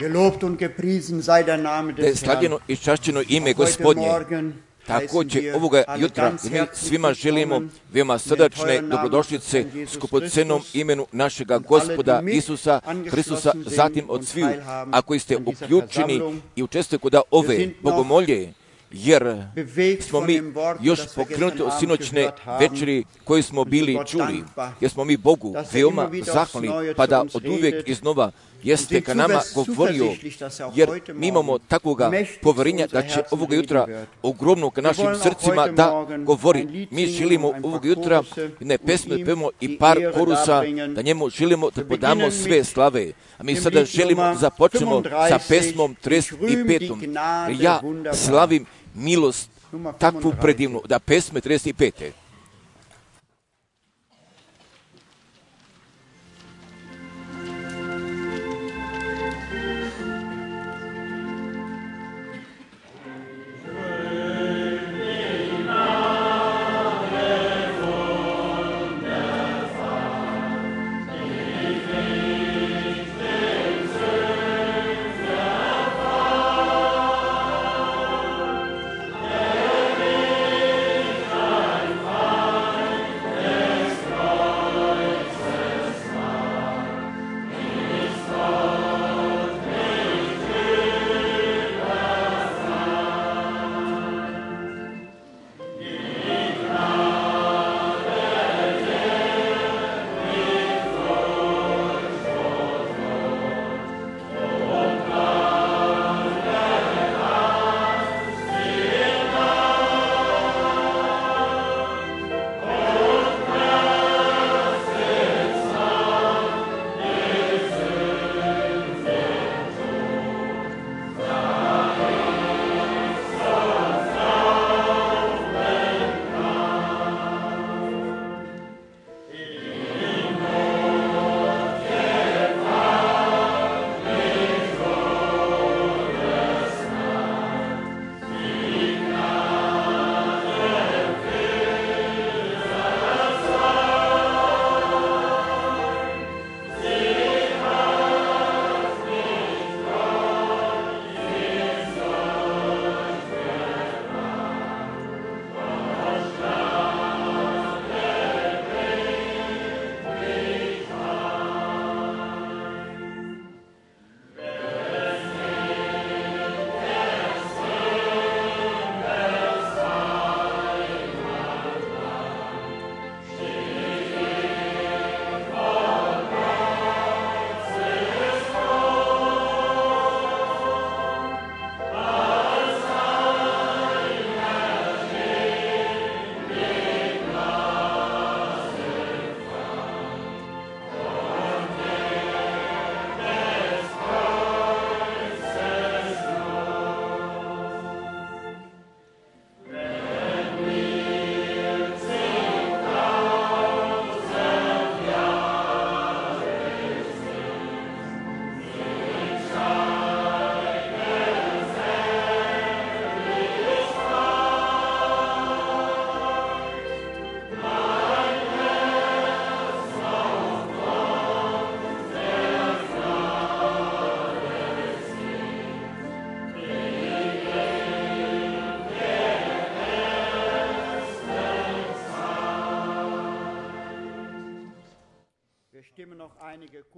Gelobt und gepriesen sei der Name Da je des Herrn. slavljeno i čašćeno ime Heute Gospodnje. Morgen Također heißen ovoga wir alle jutra ganz mi herzlich svima želimo willkommen veoma im srdačne teuren Namen dobrodošlice von Jesus skupocenom Christus imenu našega und Gospoda alle, die mit Isusa Hristusa, angeschlossen sind zatim od und sviju, teilhaben a koji ste an dieser uključeni Versammlung. i učestvujete kod ove sind noch bogomolje, jer bewegt smo von mi dem Wort, još das wir pokrenuti gestern od Abend sinoćne gehört haben, večeri koju smo bili Gott čuli, dankbar, jer smo mi Bogu dass veoma immer wieder aufs zahvalni, Neue pa zu da uns od uvijek redet. iznova jeste sind ka nama govorio, zuversichtlich, dass auch jer heute mi imamo Morgen takvoga mächtig poverenja zu unser da će Herzen ovoga reden jutra wird. ogromno ka našim wollen auch srcima heute da Morgen govori. ein Lied Mi singen želimo und ein paar ovoga jutra Chorusse ne und pesme ihm pevamo i die par Ehre korusa, darbringen. da njemu želimo da Wir podamo beginnen sve mit slave. A mi dem sada Lied želimo Nummer započnemo sa 35, pesmom Ich rühm die 35. Gnade Ja wunderbar. slavim milost Nummer takvu 35. predivnu, da pesme 35.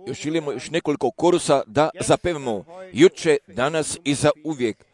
Još želimo još nekoliko korusa da zapevamo juče, danas i za uvijek.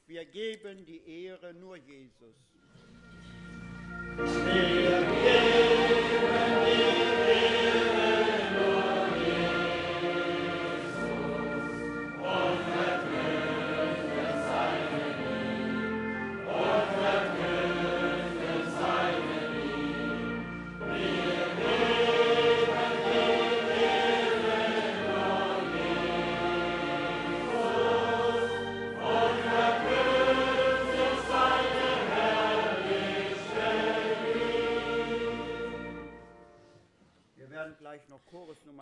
Wir geben die Ehre nur Jesus. Wir geben die Ehre nur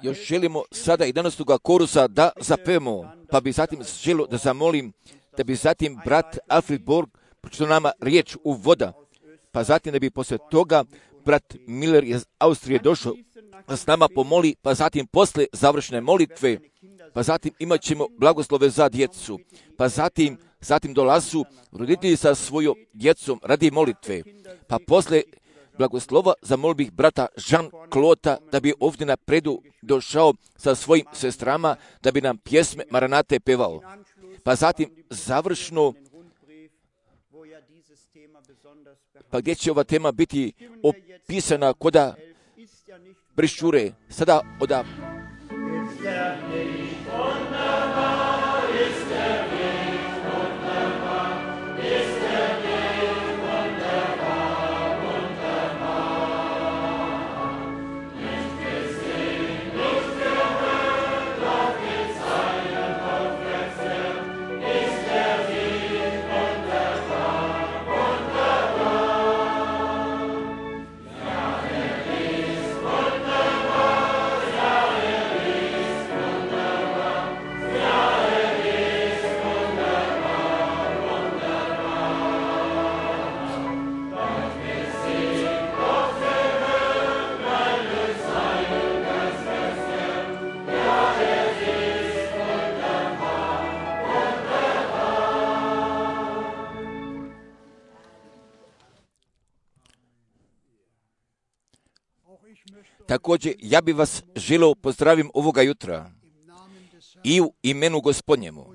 Još želimo sada 11. korusa da zapevamo, pa bi zatim želio da zamolim, da bi zatim brat Alfred Borg pročitao nama riječ u voda, pa zatim da bi poslije toga brat Miller iz Austrije došao da s nama pomoli, pa zatim posle završne molitve, pa zatim imat ćemo blagoslove za djecu, pa zatim dolazu roditelji sa svojom djecom radi molitve, pa posle blagoslova zamolio bih brata Jean-Claude da bi ovdje napredu došao sa svojim sestrama da bi nam pjesme Maranate pevao. Pa zatim završno, pa gdje će ova tema biti opisana koda brišćure, sada oda također, ja bi vas želio pozdravim ovoga jutra i u imenu Gospodnjemu,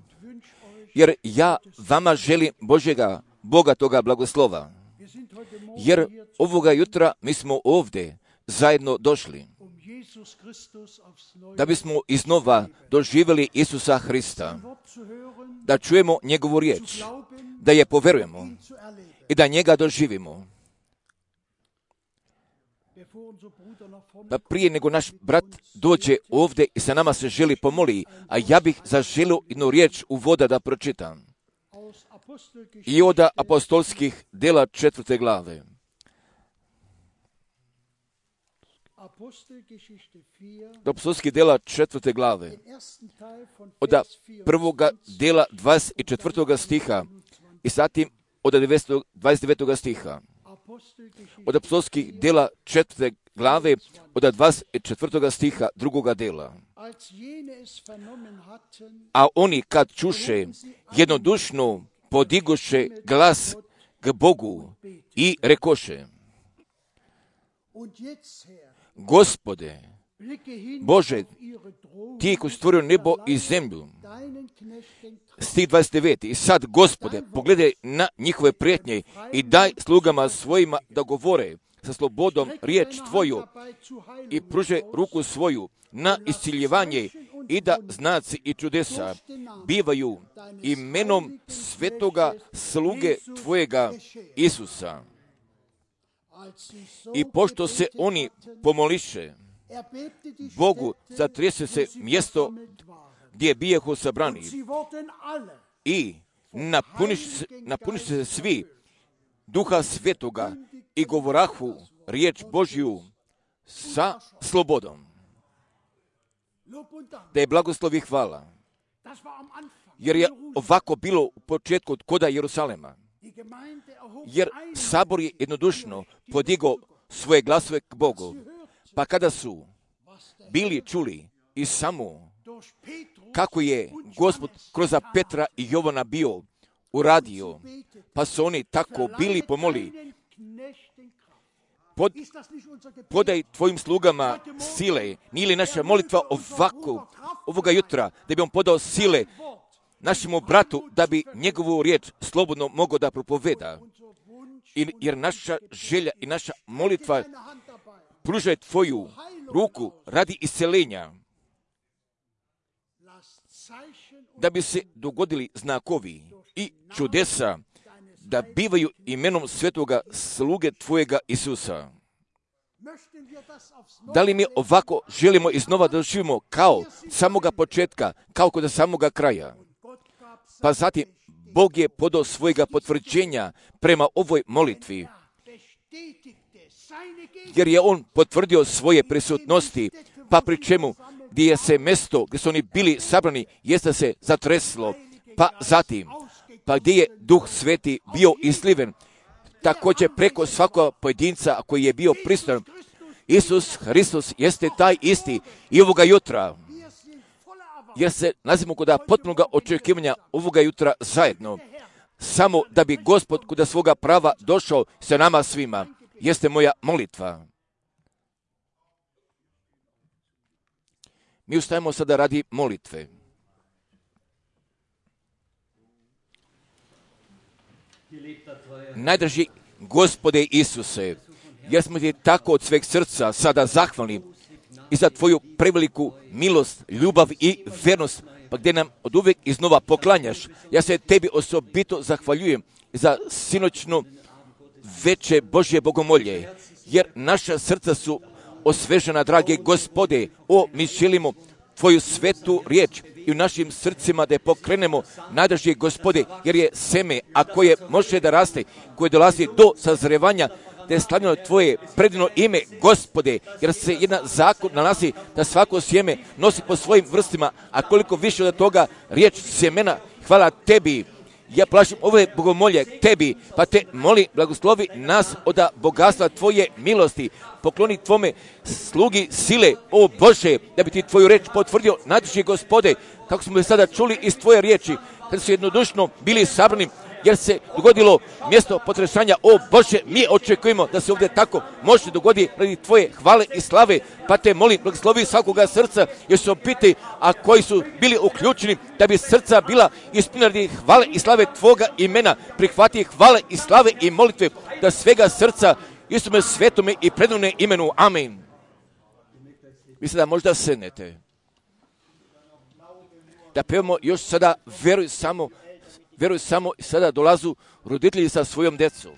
jer ja vama želim Božjega, Boga toga blagoslova, jer ovoga jutra mi smo ovdje zajedno došli, da bismo iznova doživjeli Isusa Hrista, da čujemo njegovu riječ, da je poverujemo i da njega doživimo. Pa prije nego naš brat dođe ovdje i sa nama se želi pomoli, a ja bih zaželio jednu riječ u voda da pročitam. I od apostolskih dela 4. glave. Apostolskih dela 4. glave. Od prvoga dela 24. stiha i zatim od 29. stiha. Od apostolskih dela 4. glave, od 24. stiha drugoga dela. A oni kad čuše, jednodušno podigoše glas k Bogu i rekoše: Gospode, Bože, ti koji stvorio nebo i zemlju. Stih 29. I sad, Gospode, pogledaj na njihove prijetnje i daj slugama svojima da govore sa slobodom riječ Tvoju i pruže ruku svoju na isciljevanje i da znaci i čudesa bivaju imenom svetoga sluge Tvojega Isusa. I pošto se oni pomoliše Bogu, zatrese se mjesto gdje bijehu sabrani i napuniše se svi Duha Svetoga i govorahu riječ Božju sa slobodom. Da je blagoslov i hvala, jer je ovako bilo u početku koda Jerusalema, jer sabor je jednodušno podigao svoje glasove k Bogu, pa kada su bili čuli i samo kako je Gospod kroz Petra i Jovana bio uradio, pa su oni tako bili pomoli: podaj tvojim slugama sile. Nije li naša molitva ovako, ovoga jutra, da bi on podao sile našemu bratu, da bi njegovu riječ slobodno mogao da propoveda? Jer naša želja i naša molitva pružaj tvoju ruku radi isceljenja, da bi se dogodili znakovi i čudesa, da bivaju imenom svetoga sluge Tvojega Isusa. Da li mi ovako želimo iznova da živimo kao samoga početka, kao kod samoga kraja? Pa zatim Bog je podao svojega potvrđenja prema ovoj molitvi jer je on potvrdio svoje prisutnosti, pa pri čemu gdje je se mjesto gdje su oni bili sabrani, jeste se zatreslo, pa zatim, pa gdje je Duh Sveti bio isliven, također preko svakog pojedinca koji je bio prisutan. Isus Hristos jeste taj isti i ovoga jutra, jer se nalazimo kod potpunog očekivanja ovoga jutra zajedno, samo da bi Gospod kod svoga prava došao sa nama svima, jeste moja molitva. Mi ustajemo sada radi molitve. Najdraži Gospode Isuse, jer smo ti tako od sveg srca sada zahvalni i za tvoju preveliku milost, ljubav i vernost, pa gdje nam od uvijek iznova poklanjaš. Ja se tebi osobito zahvaljujem za sinoćno veče Božje bogomolje, jer naša srca su osvežena, drage Gospode. Mi želimo tvoju svetu riječ i u našim srcima da je pokrenemo, najdraži Gospode, jer je seme, a koje može da raste, koje dolazi do sazrevanja, da je slavljeno tvoje predivno ime, Gospode, jer se jedan zakon nalazi da svako sjeme nosi po svojim vrstima, a koliko više od toga riječ sjemena, hvala tebi. Ja plašim ove bogomolje tebi, pa te moli, blagoslovi nas od bogatstva tvoje milosti, pokloni tvome slugi sile, o Bože, da bi ti tvoju reč potvrdio, najdraži Gospode, kako smo sada čuli iz tvoje riječi, kada su jednodušno bili sabrani, jer se dogodilo mjesto potresanja. O Bože, mi očekujemo da se ovdje tako može dogoditi radi tvoje hvale i slave, pa te molim, blagoslovi svakoga srca, jer su opiti, a koji su bili uključeni, da bi srca bila ispunjena radi hvale i slave tvoga imena, prihvati hvale i slave i molitve, da svega srca Isuse svetome i predivnom imenu. Amen. Vi sada možda sednete. Da pevamo još sada, veruj samo, sada dolazu roditelji sa svojom djecom.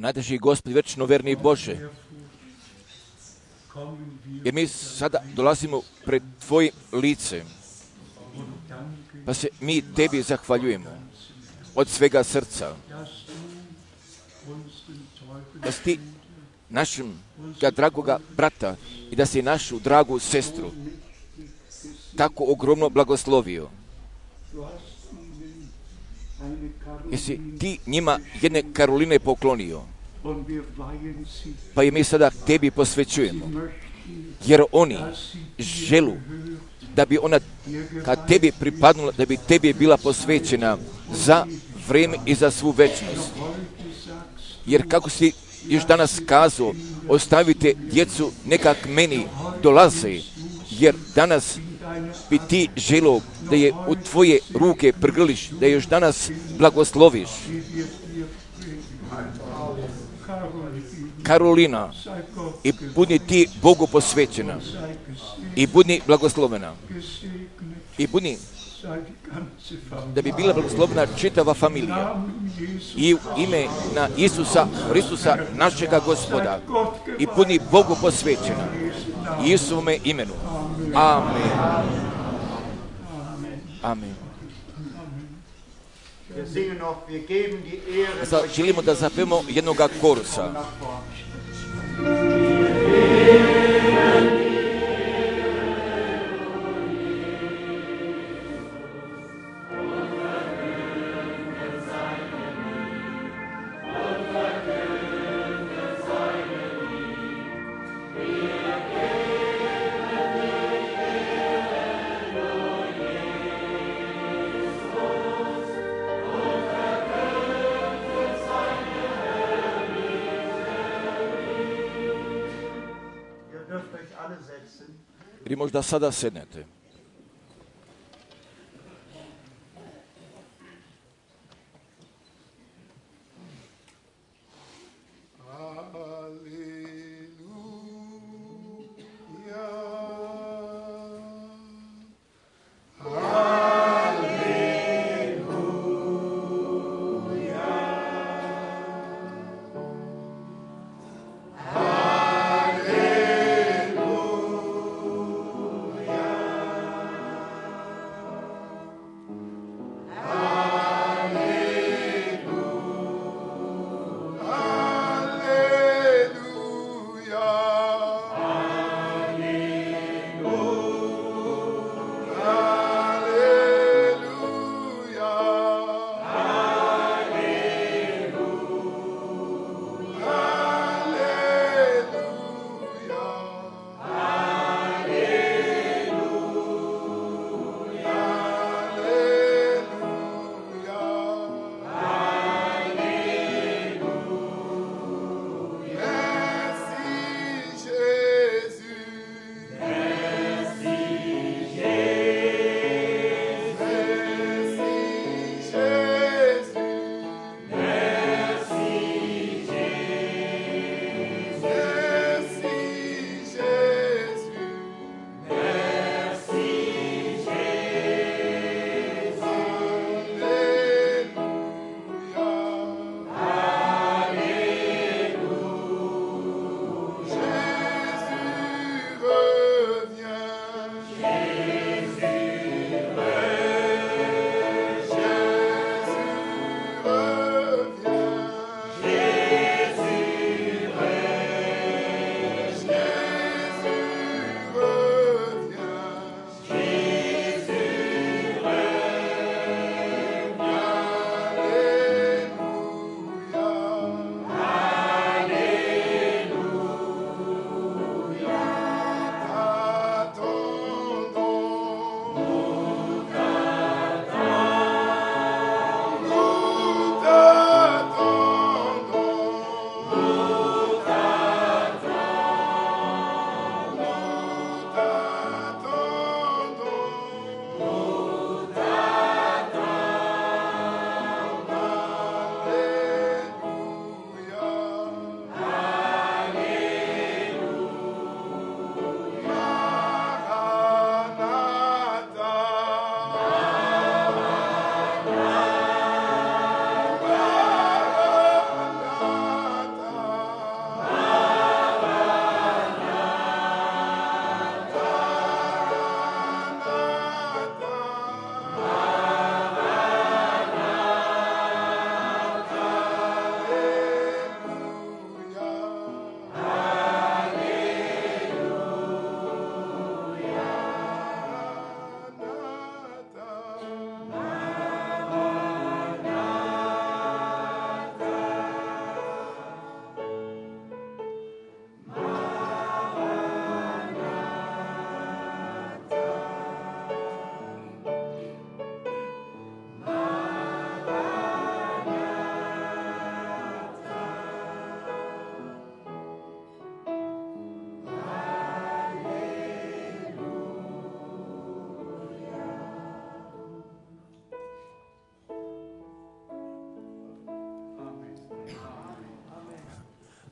Najdraži Gospod, večno verni Bože, jer mi sada dolazimo pred tvojim licem, pa se mi tebi zahvaljujemo od svega srca, da si ti našim dragoga brata i da si našu dragu sestru tako ogromno blagoslovio. Jesi ti njima jedne Karoline poklonio, pa i mi sada tebi posvećujemo, jer oni želu da bi ona kad tebi pripadnula, da bi tebi bila posvećena za vrijeme i za svu večnost. Jer kako si još danas kazao, ostavite djecu nekak meni dolaze, jer danas bi ti želo da je u tvoje ruke prgrliš, da je još danas blagosloviš. Karolina, i budi ti Bogu posvećena, i budi blagoslovena, i budi da bi bila blagoslovena čitava familija. I u ime na Isusa Hristusa, našega Gospoda, i budi Bogu posvećena, i Isuvome imenu. Amen. Amen. Wir singen noch, wir geben die Ehre Sad želimo da zapevamo jednoga korusa. nach vorne. Ihr dürft euch alle setzen. Vi možda sada sednete.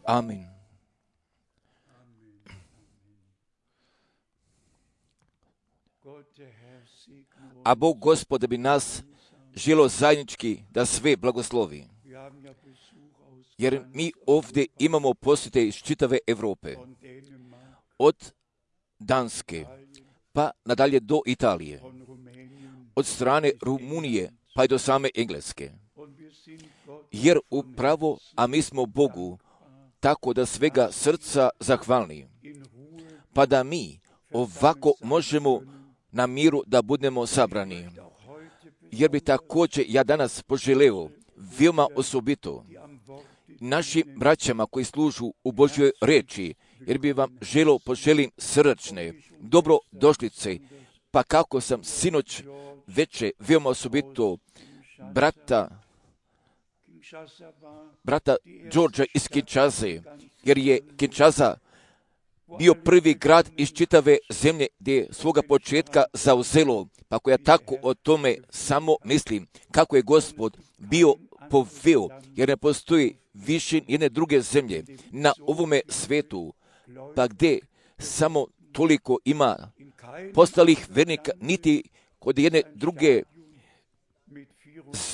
Amin. A Bog Gospod bi nas želio zajednički da sve blagoslovi. Jer mi ovdje imamo posjete iz čitave Europe. Od Danske pa nadalje do Italije. Od strane Rumunije pa i do same Engleske. Jer upravo, a mi smo Bogu, tako da svega srca zahvalni, pa da mi ovako možemo na miru da budemo sabrani. Jer bi također ja danas poželeo, veoma osobito, našim braćama koji služu u Božjoj reči, jer bi vam poželim srdačne, dobrodošlice, pa kako sam sinoć veče, veoma osobito, brata Đorđa iz Kinshase, jer je Kinshasa bio prvi grad iz čitave zemlje gdje je svoga početka zauzelo, pa ako ja tako o tome samo mislim, kako je Gospod bio poveo, jer ne postoji više jedne druge zemlje na ovome svetu, pa gdje samo toliko ima postalih vernika, niti kod jedne druge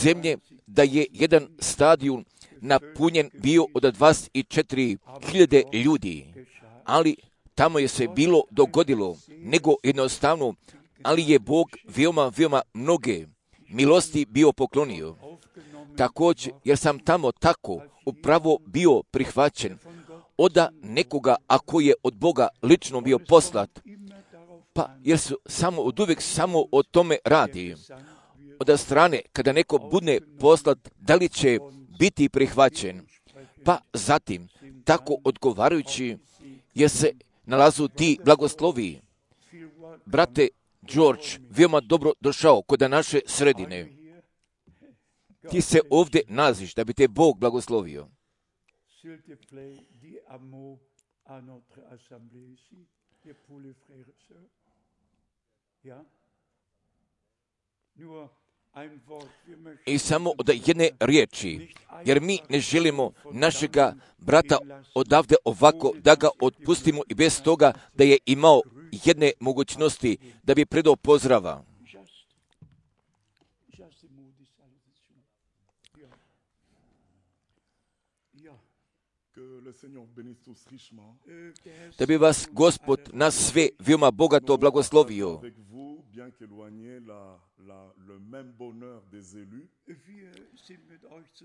zemlje, da je jedan stadion napunjen bio od 24.000 ljudi, ali tamo je se bilo dogodilo, nego jednostavno, ali je Bog veoma mnoge milosti bio poklonio. Također, jer sam tamo tako upravo bio prihvaćen od nekoga, ako je od Boga lično bio poslat, pa jer su oduvijek samo o tome radi. Od strane, kada neko bude poslat, da li će biti prihvaćen, pa zatim, tako odgovarajući, jer se nalazu ti blagoslovi. Brate George, veoma dobro došao kod naše sredine. Ti se ovdje nalaziš da bi te Bog blagoslovio. I samo od jedne riječi, jer mi ne želimo našega brata odavde ovako da ga otpustimo i bez toga da je imao jedne mogućnosti da bi predao pozdrava. Da bi vas Gospod na sve veoma bogato blagoslovio.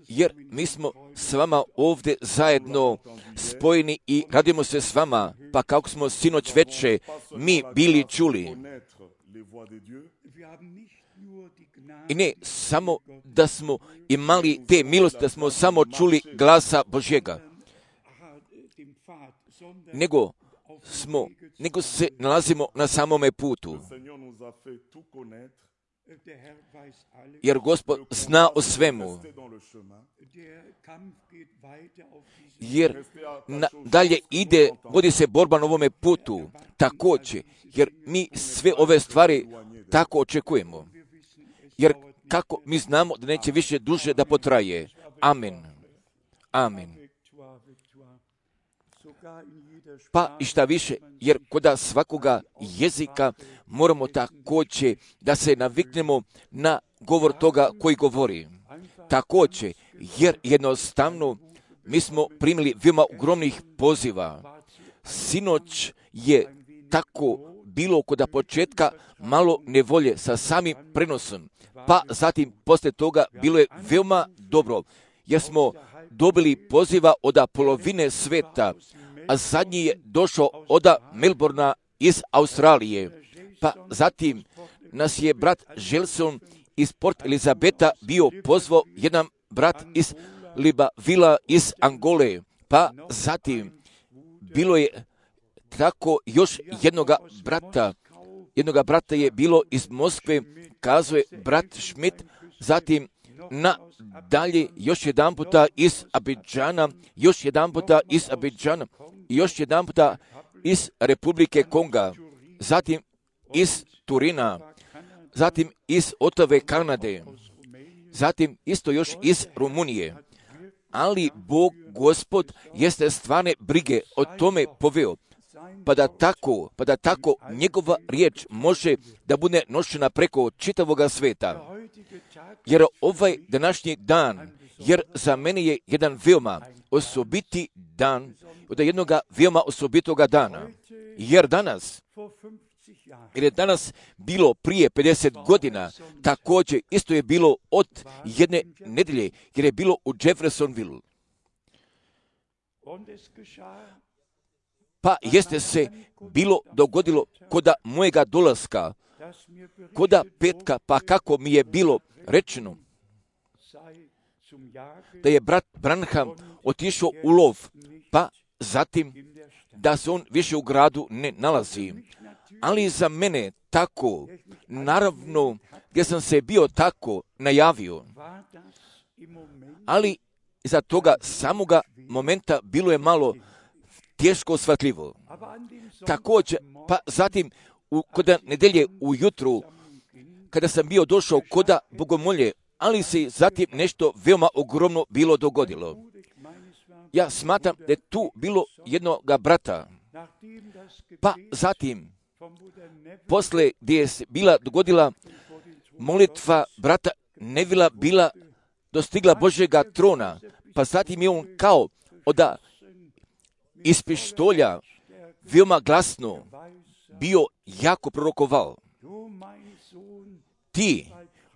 Jer mi smo s vama ovdje zajedno spojeni i radimo se s vama, pa kako smo sinoć veče mi bili čuli. I ne samo da smo imali te milosti, da smo samo čuli glasa Božjega, nego se nalazimo na samome putu. Jer Gospod zna o svemu. Jer dalje vodi se borba na ovome putu. Također, jer mi sve ove stvari tako očekujemo. Jer kako mi znamo da neće više duže da potraje. Amen. Amen. Pa i šta više, jer kod svakoga jezika moramo također da se naviknemo na govor toga koji govori. Također, jer jednostavno mi smo primili veoma ogromnih poziva. Sinoć je tako bilo kod početka malo nevolje sa samim prenosom, pa zatim poslije toga bilo je veoma dobro, jer smo dobili poziva od polovine sveta, a zadnji je došao od Melbourna iz Australije. Pa zatim nas je brat Želson iz Port Elizabeta bio pozvao, jedan brat iz Librevilla iz Angole. Pa zatim bilo je tako još jednoga brata je bilo iz Moskve, kazuje brat Schmidt, zatim nadalje još jedan puta iz Abidžana, još jedan puta iz Abidžana, još jedan puta iz Republike Konga, zatim iz Turina, zatim iz Otave, Kanade, zatim isto još iz Rumunije. Ali Bog, Gospod, jeste stvarne brige o tome poveo, pa da tako njegova riječ može da bude nošena preko čitavoga sveta. Jer ovaj današnji dan, jer za mene je jedan veoma osobiti dan, od jednoga veoma osobitoga dana. Jer danas, jer je danas bilo prije 50 godina, također isto je bilo od jedne nedelje, jer je bilo u Jeffersonville. Pa jeste se bilo dogodilo koda mojega dolaska, koda petka, pa kako mi je bilo rečeno, da je brat Branham otišao u lov, pa zatim da se on više u gradu ne nalazi. Ali za mene tako, naravno, gdje sam se bio tako najavio, ali za toga samoga momenta bilo je malo teško shvatljivo. Također, pa zatim, koda nedelje ujutru, kada sam bio došao koda bogomolje, ali se zatim nešto veoma ogromno bilo dogodilo. Ja smatram da je tu bilo jednoga brata, pa zatim, posle gdje je bila dogodila molitva brata Nevila bila dostigla Božjega trona, pa zatim je on kao oda iz pištolja veoma glasno bio jako prorokovao. Ti,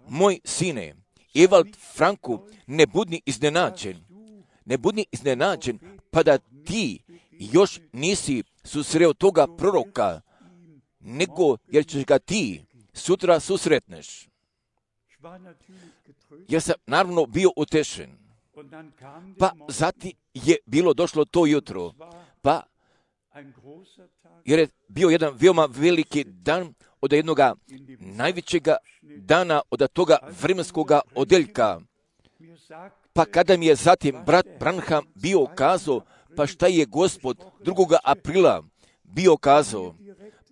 moj sine, Evald Franku, ne budni iznenađen, pa da ti još nisi susreo toga proroka, nego jer ćeš ga ti sutra susretneš. Ja sam naravno bio utešen. Pa zatim je bilo došlo to jutro, pa jer je bio jedan veoma veliki dan od jednoga najvećega dana od toga vremenskoga odeljka. Pa kada mi je zatim brat Branham bio kazao, pa šta je Gospod 2. aprila bio kazao,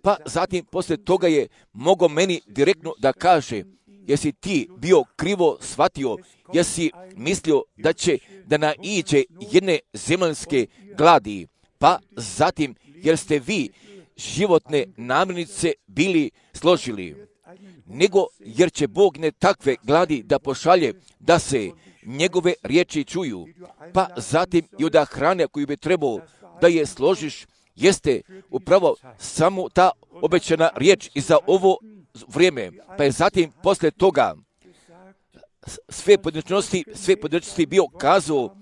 pa zatim poslije toga je mogao meni direktno da kaže, jesi ti bio krivo shvatio, jesi mislio da će da naiđe jedne zemaljske gladi, pa zatim jer ste vi životne namirnice bili složili, nego jer će Bog ne takve gladi da pošalje da se njegove riječi čuju, pa zatim i od hrane koju bi trebao da je složiš, jeste upravo samo ta obećana riječ i za ovo vrijeme, pa je zatim posle toga sve podrečnosti bio kazao,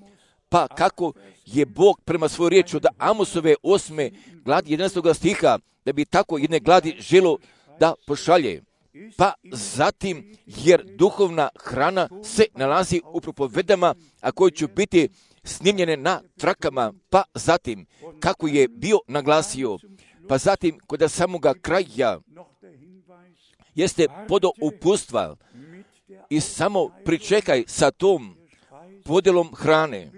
pa kako je Bog prema svojoj riječi od Amosove 8. gladi 11. stiha, da bi tako jedne gladi želo da pošalje. Pa zatim, jer duhovna hrana se nalazi u propovedama, a koje će biti snimljene na trakama, pa zatim, kako je bio naglasio, pa zatim, kod samoga kraja, jeste podo upustva i samo pričekaj sa tom podjelom hrane,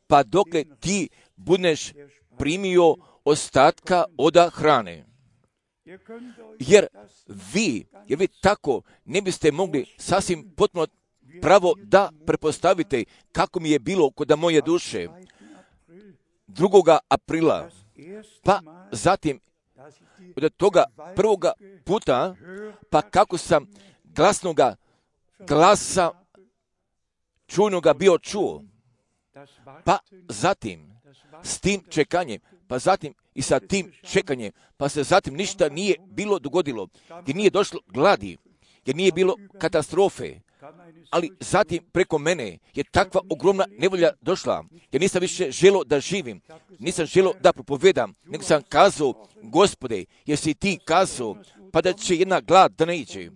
pa dokle ti budeš primio ostatka od hrane. Jer vi tako ne biste mogli sasvim potpuno pravo da prepostavite kako mi je bilo kod moje duše 2. aprila, pa zatim od toga prvoga puta, pa kako sam glasnoga glasa čujnoga bio čuo, pa zatim s tim čekanjem, pa zatim i sa tim čekanjem, pa se zatim ništa nije bilo dogodilo, jer nije došlo gladi, jer nije bilo katastrofe, ali zatim preko mene je takva ogromna nevolja došla, jer nisam više želio da živim, nisam želio da propovedam, nego sam kazao, Gospode, jesi ti kazao, pa da će jedna glad da ne iđe,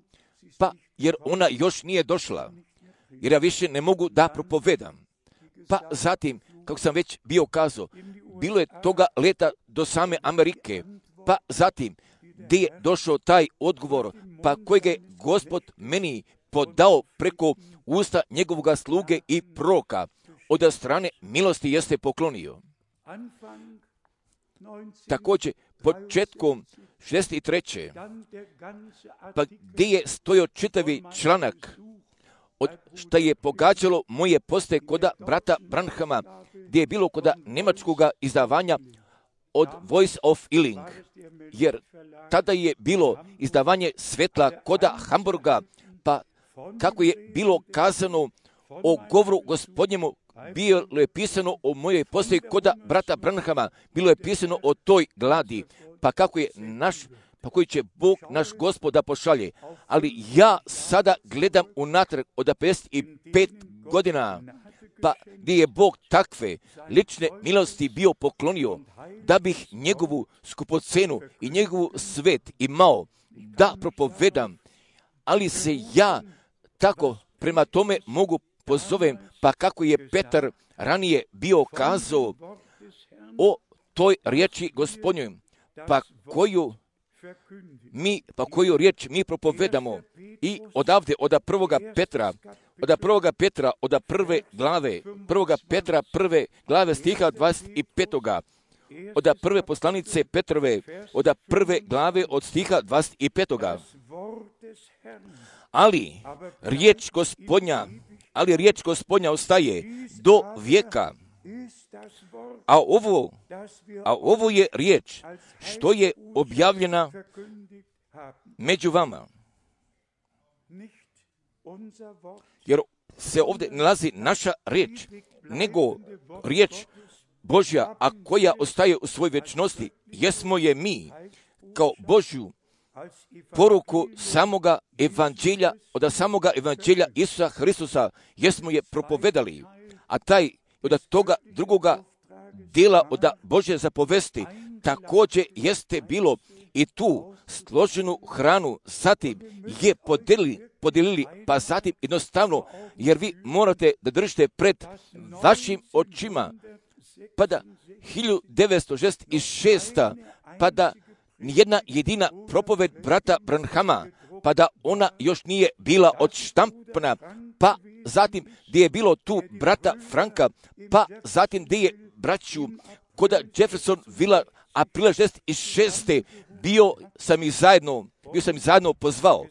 pa jer ona još nije došla, jer ja više ne mogu da propovedam. Pa zatim, kako sam već bio kazao, bilo je toga leta do same Amerike, pa zatim, gdje je došao taj odgovor, pa kojeg je Gospod meni podao preko usta njegovoga sluge i proroka, od strane milosti jeste poklonio. Također, početkom 63. pa gdje je stojao čitavi članak, od što je pogađalo moje poste koda brata Branhama, gdje je bilo koda njemačkoga izdavanja od Voice of Healing, jer tada je bilo izdavanje svetla koda Hamburga, pa kako je bilo kazano o govoru Gospodnjemu, bilo je pisano o mojoj postoji koda brata Branhama, bilo je pisano o toj gladi, pa kako je naš pa koji će Bog naš Gospod da pošalje. Ali ja sada gledam unatrag od 55 godina, pa gdje je Bog takve lične milosti bio poklonio, da bih njegovu skupocenu i njegovu svet imao da propovedam, ali se ja tako prema tome mogu pozovem, pa kako je Petar ranije bio kazao o toj riječi Gospodnjoj, pa koju riječ mi propovedamo i odavde, od prvoga Petra, od prve glave, prve glave stiha 25. Od prve poslanice Petrove, od prve glave od stiha 25. Ali riječ Gospodnja ostaje do vijeka. A ovo je riječ što je objavljena među vama. Jer se ovdje nalazi naša riječ, nego riječ Božja, a koja ostaje u svojoj vječnosti, jesmo je mi, kao Božju poruku samoga evanđelja, od samoga evanđelja Isusa Hristusa, jesmo je propovedali, a taj od toga drugoga dijela od Božje zapovesti također jeste bilo i tu složenu hranu, zatim je podijelili, pa zatim jednostavno, jer vi morate da držite pred vašim očima, pa da 1966. pa da nijedna jedina propoved brata Branhama, pa da ona još nije bila odštampana, pa zatim gdje je bilo tu brata Franka, pa zatim gdje je braću kod Jefferson Villa aprila 66. bio sam ih zajedno pozvao,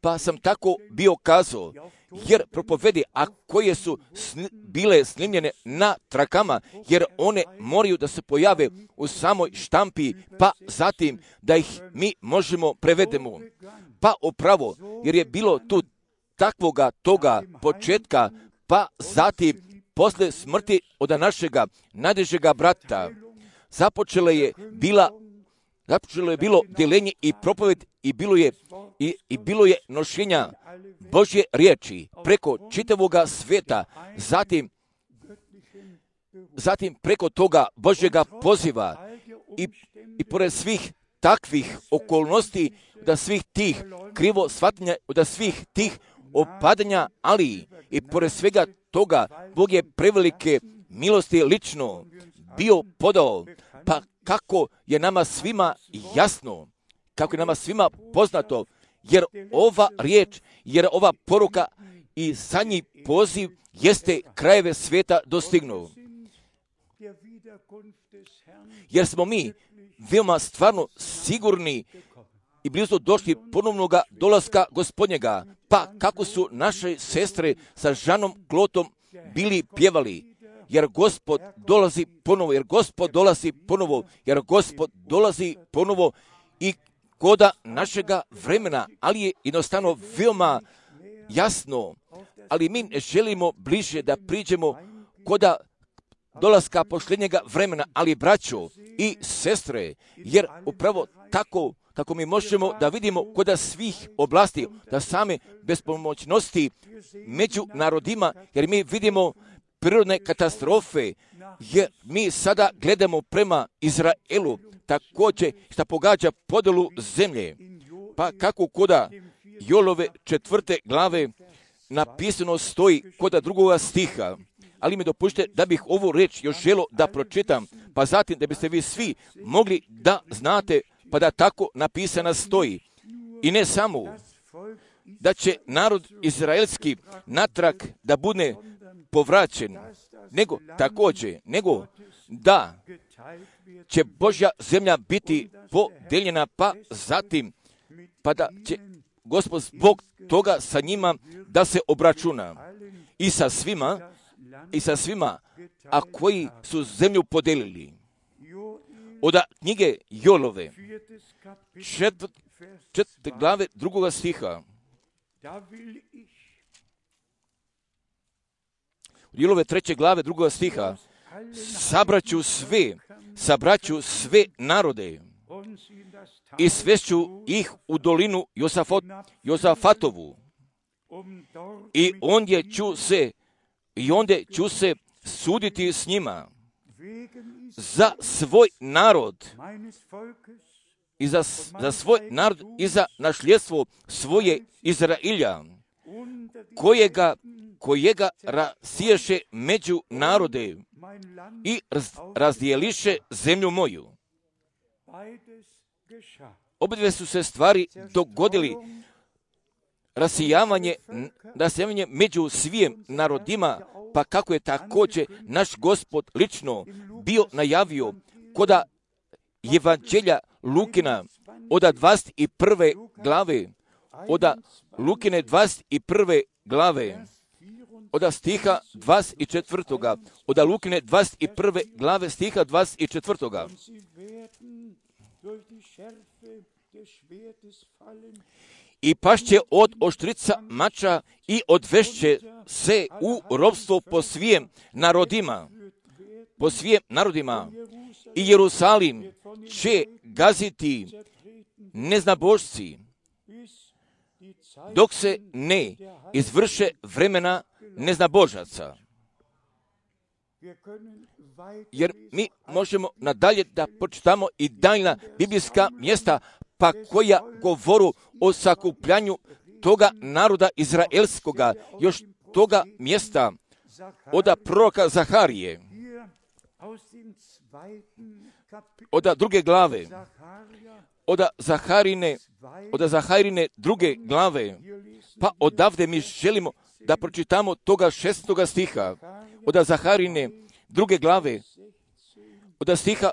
pa sam tako bio kazao, jer propovedi, a koje su bile snimljene na trakama, jer one moraju da se pojave u samoj štampi, pa zatim da ih mi možemo prevedemo. Pa upravo, jer je bilo tu takvoga toga početka, pa zatim posle smrti od našega najdražega brata, započelo je bilo deljenje i propoved i bilo je nošenja Božje riječi preko čitavoga sveta, zatim preko toga Božjega poziva i pored svih takvih okolnosti, da svih tih krivo shvatanja, da svih tih opadanja, ali i pored svega toga Bog je prevelike milosti lično bio podao, pa kako je nama svima jasno, kako je nama svima poznato, jer ova riječ, jer ova poruka i zadnji poziv jeste krajeve svijeta dostignuo. Jer smo mi veoma stvarno sigurni i blizu došli ponovnoga dolaska Gospodnjega, pa kako su naše sestre sa Žanom Klotom bili pjevali, jer Gospod dolazi ponovo, jer Gospod dolazi ponovo i koda našega vremena, ali je jednostavno veoma jasno, ali mi ne želimo bliže da priđemo koda dolaska posljednjega vremena, ali braćo i sestre, jer upravo tako kako mi možemo da vidimo koda svih oblasti, da same bespomoćnosti među narodima, jer mi vidimo prirodne katastrofe, jer mi sada gledamo prema Izraelu, također što pogađa podjelu zemlje, pa kako koda Jolove 4. glave napisano stoji koda 2. stiha, ali mi dopušte da bih ovu riječ još želo da pročitam, pa zatim da biste vi svi mogli da znate, pa da tako napisana stoji. I ne samo da će narod izraelski natrag da bude povraćen, nego također, da će Božja zemlja biti podeljena, pa zatim, pa da će Gospod zbog toga sa njima da se obračuna i sa svima, a koji su zemlju podelili. Od knjige Jolove, 4. glave 2. stiha. Jolove 3. glave 2. stiha. Sabraću sve narode i svešću ih u dolinu Josafatovu. I ondje ću se suditi s njima za svoj narod i za svoj narod i za nasljedstvo svoje Izrailja, kojega rasiješe među narode i razdijeliše zemlju moju. Obadve su se stvari dogodili, rasijavanje među svim narodima, pa kako je također naš Gospod lično bio najavio koda Evanđelja Lukina od 21. glave, od Lukine 21. glave, od stiha 24. od Lukine 21. glave stiha 24. I pašće od oštrica mača i odvešće se u ropstvo po svijem narodima, i Jerusalim će gaziti neznabošci, dok se ne izvrše vremena neznabožaca. Jer mi možemo nadalje da pročitamo i daljna biblijska mjesta, pa koja govoru o sakupljanju toga naroda izraelskoga, još toga mjesta od proroka Zaharije, od druge glave, od Zaharine druge glave, pa odavde mi želimo da pročitamo toga 6. stiha, od Zaharine druge glave, od stiha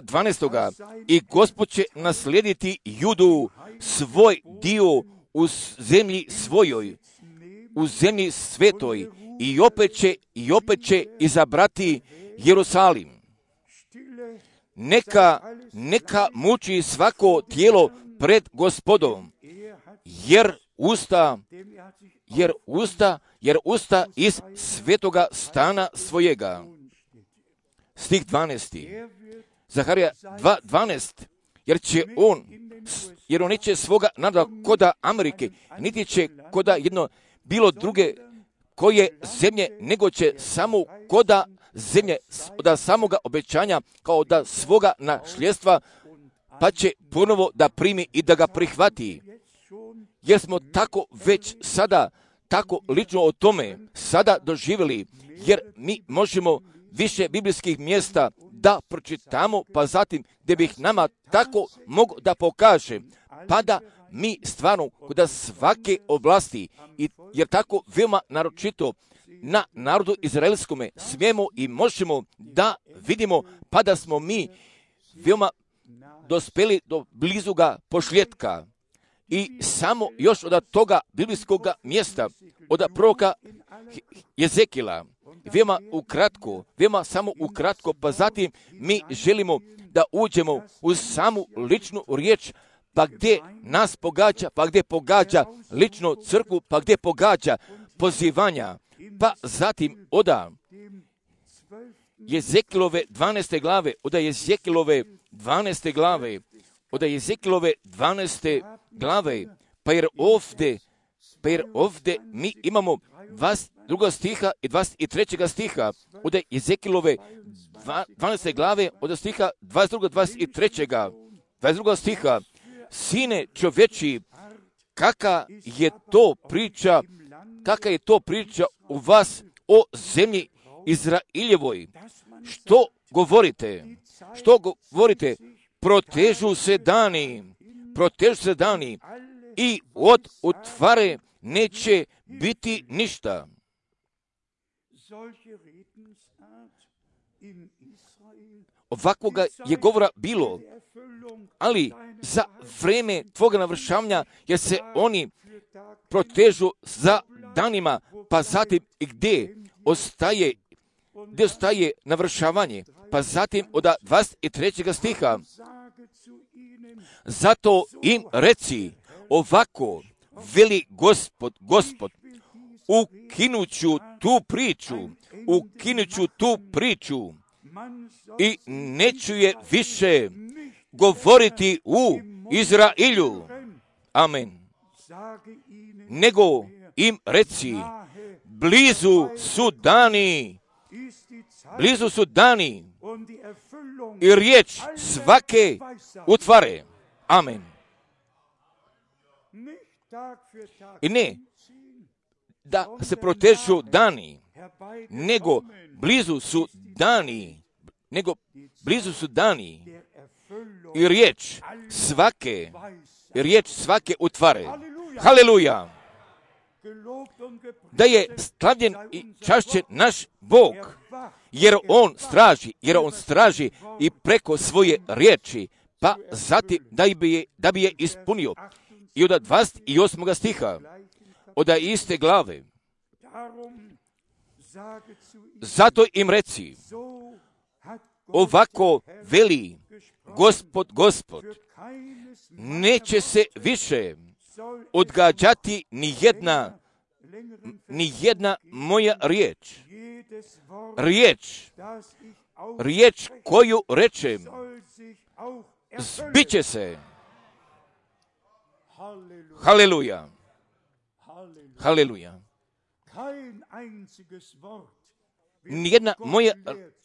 12. I Gospod će naslijediti Judu, svoj dio u zemlji svojoj, u zemlji svetoj, i opet će izabrati Jerusalim. Neka muči svako tijelo pred Gospodom, jer usta iz svetoga stana svojega. Stih 12. Zaharija 2.12. Jer on neće svoga naroda koda Amerike, niti će koda jedno bilo druge koje zemlje, nego će samo koda zemlje od samoga obećanja kao da svoga nasljedstva, pa će ponovo da primi i da ga prihvati. Jer smo tako već sada, tako lično o tome sada doživjeli, jer mi možemo više biblijskih mjesta da pročitamo, pa zatim gdje bih nama tako mogu da pokaže, pa da mi stvarno kod svake oblasti, jer tako veoma naročito na narodu izraelskome smijemo i možemo da vidimo, pa da smo mi veoma dospeli do blizuga pošljetka. I samo još od toga biblijskog mjesta, od proroka Jezekila, veoma samo ukratko, pa zatim mi želimo da uđemo u samu ličnu riječ, pa gdje nas pogađa, pa gdje pogađa lično crkvu, pa gdje pogađa pozivanja, pa zatim od Jezekilove 12. glave, od Jezekilove 12. glave, pa jer ovdje mi imamo 22. stiha i 23. stiha, od Jezekilove 12. glave, od stiha 22. 22. stiha, sine čovječi, kakva je to priča u vas o zemlji Izraeljevoj? Što govorite? Protežu se dani i od utvare neće biti ništa. Ovakvoga je govora bilo, ali za vreme tvoga navršavanja, jer se oni protežu za danima, pa zatim i gdje ostaje navršavanje, pa zatim od 23. stiha, zato im reci ovako, veli Gospod, ukinuću tu priču i neću je više govoriti u Izrailju. Amen. Nego im reci, blizu su dani i riječ svake utvare. Amen. I ne da se protežu dani, nego blizu su dani i riječ svake utvare. Haleluja! Da je slavljen i čašćen naš Bog, jer on straži i preko svoje riječi, pa zatim da bi je ispunio. I od 28. stiha, od iste glave, zato im reci, ovako veli Gospod, neće se više odgađati ni jedna moja riječ koju rečem, zbit će se. Haleluja. Haleluja. Nijedna moja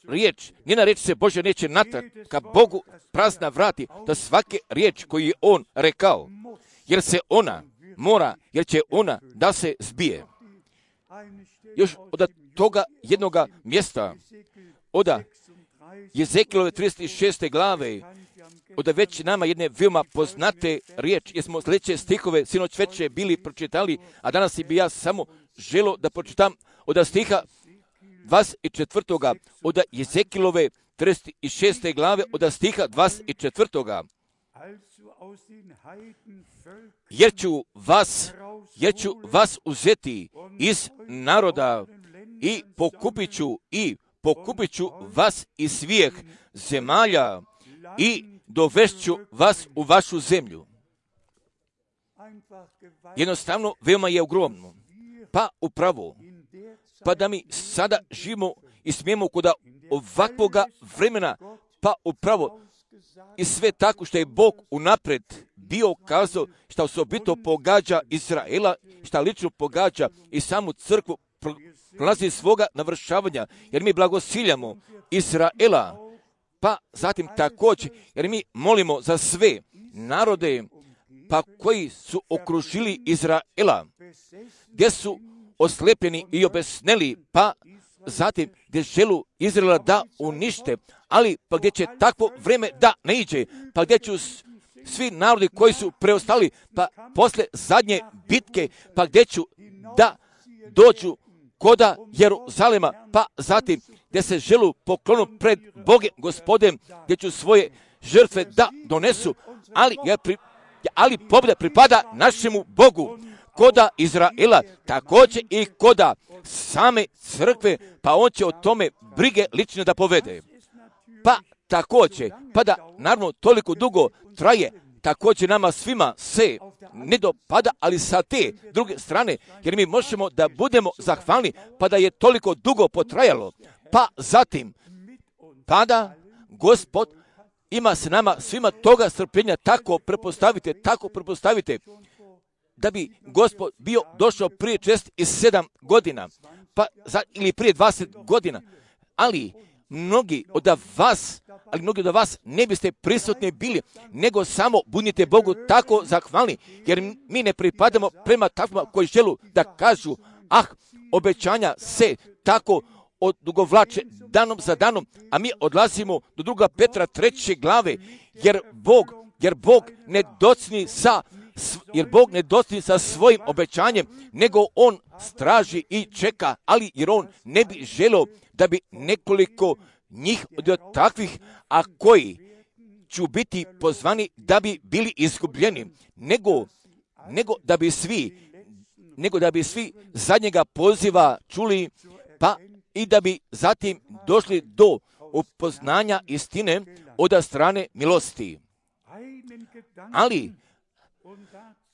riječ se Bože neće natrag ka Bogu prazna vrati, da svake riječ koju je on rekao, jer će ona da se zbije. Još od toga jednoga mjesta, od Jezekilove 36. glave, od već nama jedne veoma poznate riječ, jer smo sljedeće stihove sinoć već bili pročitali, a danas bi ja samo želio da pročitam od stiha 24. od Jezekilove 36. glave, od stiha 24. Jer ću vas uzeti iz naroda i pokupit ću vas iz svih zemalja i dovešću vas u vašu zemlju. Jednostavno, veoma je ogromno. Pa upravo, pa da mi sada živimo i smijemo kod ovakvoga vremena, pa upravo i sve tako što je Bog unapred bio kazao, što osobito pogađa Izraela, što lično pogađa i samu crkvu, prolazi svoga navršavanja, jer mi blagosiljamo Izraela, pa zatim također, jer mi molimo za sve narode, pa koji su okružili Izraela, gdje su oslepljeni i obesneli, pa zatim gdje želu Izraela da unište, ali pa gdje će takvo vreme da ne iđe, pa gdje će svi narodi koji su preostali, pa posle zadnje bitke, pa gdje ću da dođu koda Jeruzalema, pa zatim gdje se želu poklonu pred Bogem Gospodem, gdje ću svoje žrtve da donesu, ali pobjeda pripada našemu Bogu, koda Izraela, također i koda same crkve, pa on će o tome brige lično da povede. Pa također, pa da naravno toliko dugo traje, također nama svima se ne dopada, ali sa te druge strane, jer mi možemo da budemo zahvalni, pa da je toliko dugo potrajalo, pa zatim, pa da Gospod ima se nama svima toga strpljenja, tako prepostavite, da bi Gospod bio došao prije 67 godina, ili prije 20 godina, ali mnogi od vas ne biste prisutni bili, nego samo budite Bogu tako zahvalni, jer mi ne pripadamo prema takvima koji želu da kažu, obećanja se tako odugovlače danom za danom, a mi odlazimo do 2. Petra 3. glave, jer Bog ne docni sa svojim obećanjem, nego on straži i čeka, ali jer on ne bi želio da bi nekoliko njih od takvih, a koji ću biti pozvani da bi bili izgubljeni, nego da bi svi zadnjega poziva čuli, pa i da bi zatim došli do upoznanja istine od strane milosti. Ali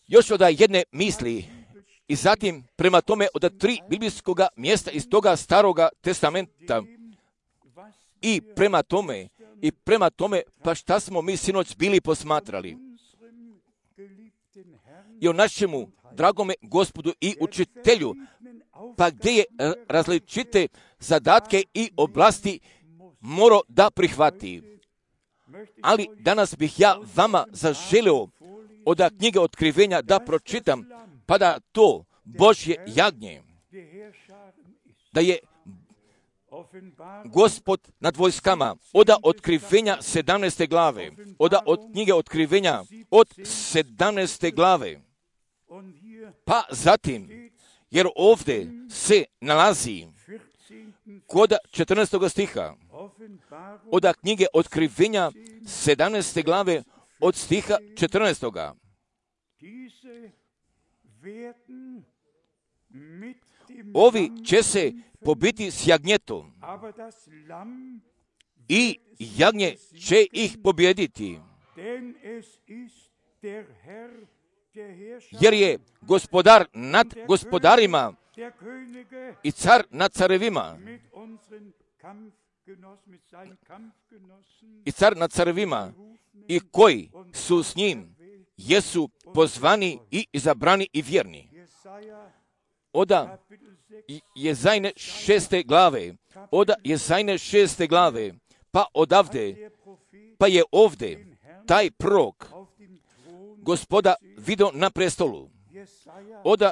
još od jedne misli, I zatim, prema tome, od 3 biblijskoga mjesta iz toga staroga testamenta, i prema tome, pa šta smo mi sinoć bili posmatrali? I o našemu dragome Gospodu i učitelju, pa gdje je različite zadatke i oblasti morao da prihvati. Ali danas bih ja vama zaželio od knjige Otkrivenja da pročitam, pa da to Božje jagnje, da je Gospod nad vojskama, od Otkrivenja 17. glave, od knjige Otkrivenja od 17. glave, pa zatim, jer ovdje se nalazi kod 14. stiha, od knjige Otkrivenja 17. glave, od stiha 14. Ovi će se pobiti s jagnjetom i jagnje će ih pobijediti, jer je gospodar nad gospodarima i car nad carevima, i koji su s njim jesu pozvani i izabrani i vjerni. Od Jezajne 6. glave, pa odavde, pa je ovdje taj prorok Gospoda vidio na prestolu. Od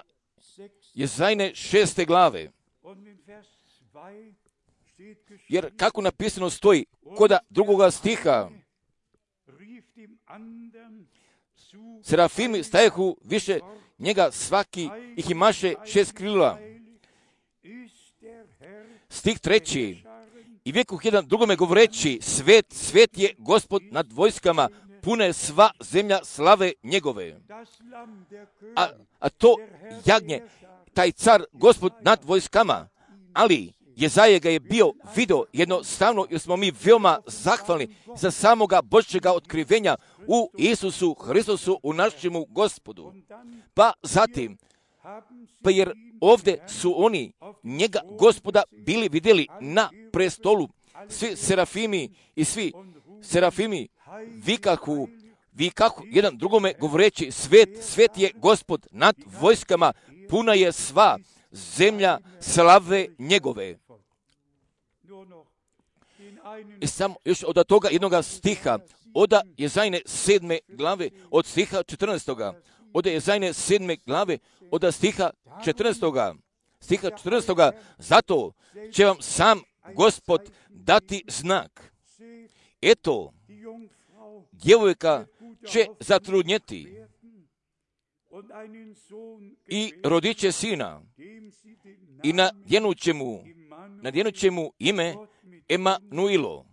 Jezajne 6. glave, jer kako napisano stoji kod 2. stiha, serafimi stajehu više njega, svaki ih imaše 6 krila. Stih 3. I vjekoh jedan drugome govoreći, svet, svet je Gospod nad vojskama, pune sva zemlja slave njegove. A to jagnje, taj car, Gospod nad vojskama, ali Jezaja ga je bio video jednostavno, jer smo mi veoma zahvalni za samoga Božjega otkrivenja u Isusu Hristusu, u našemu Gospodu. Pa zatim, pa jer ovdje su oni njega Gospoda bili vidjeli na prestolu, svi serafimi i svi serafimi vikahu jedan drugome govoreći, svet je Gospod nad vojskama, puna je sva zemlja slave njegove. I samo još od toga jednoga stiha, od Jezajne 7. glave, od stiha 14. Od Jezajne 7. glave, od stiha 14. Zato će vam sam Gospod dati znak. Eto, djevojka će zatrudnjeti i rodit će sina i nadjenut će mu ime Emanuilo.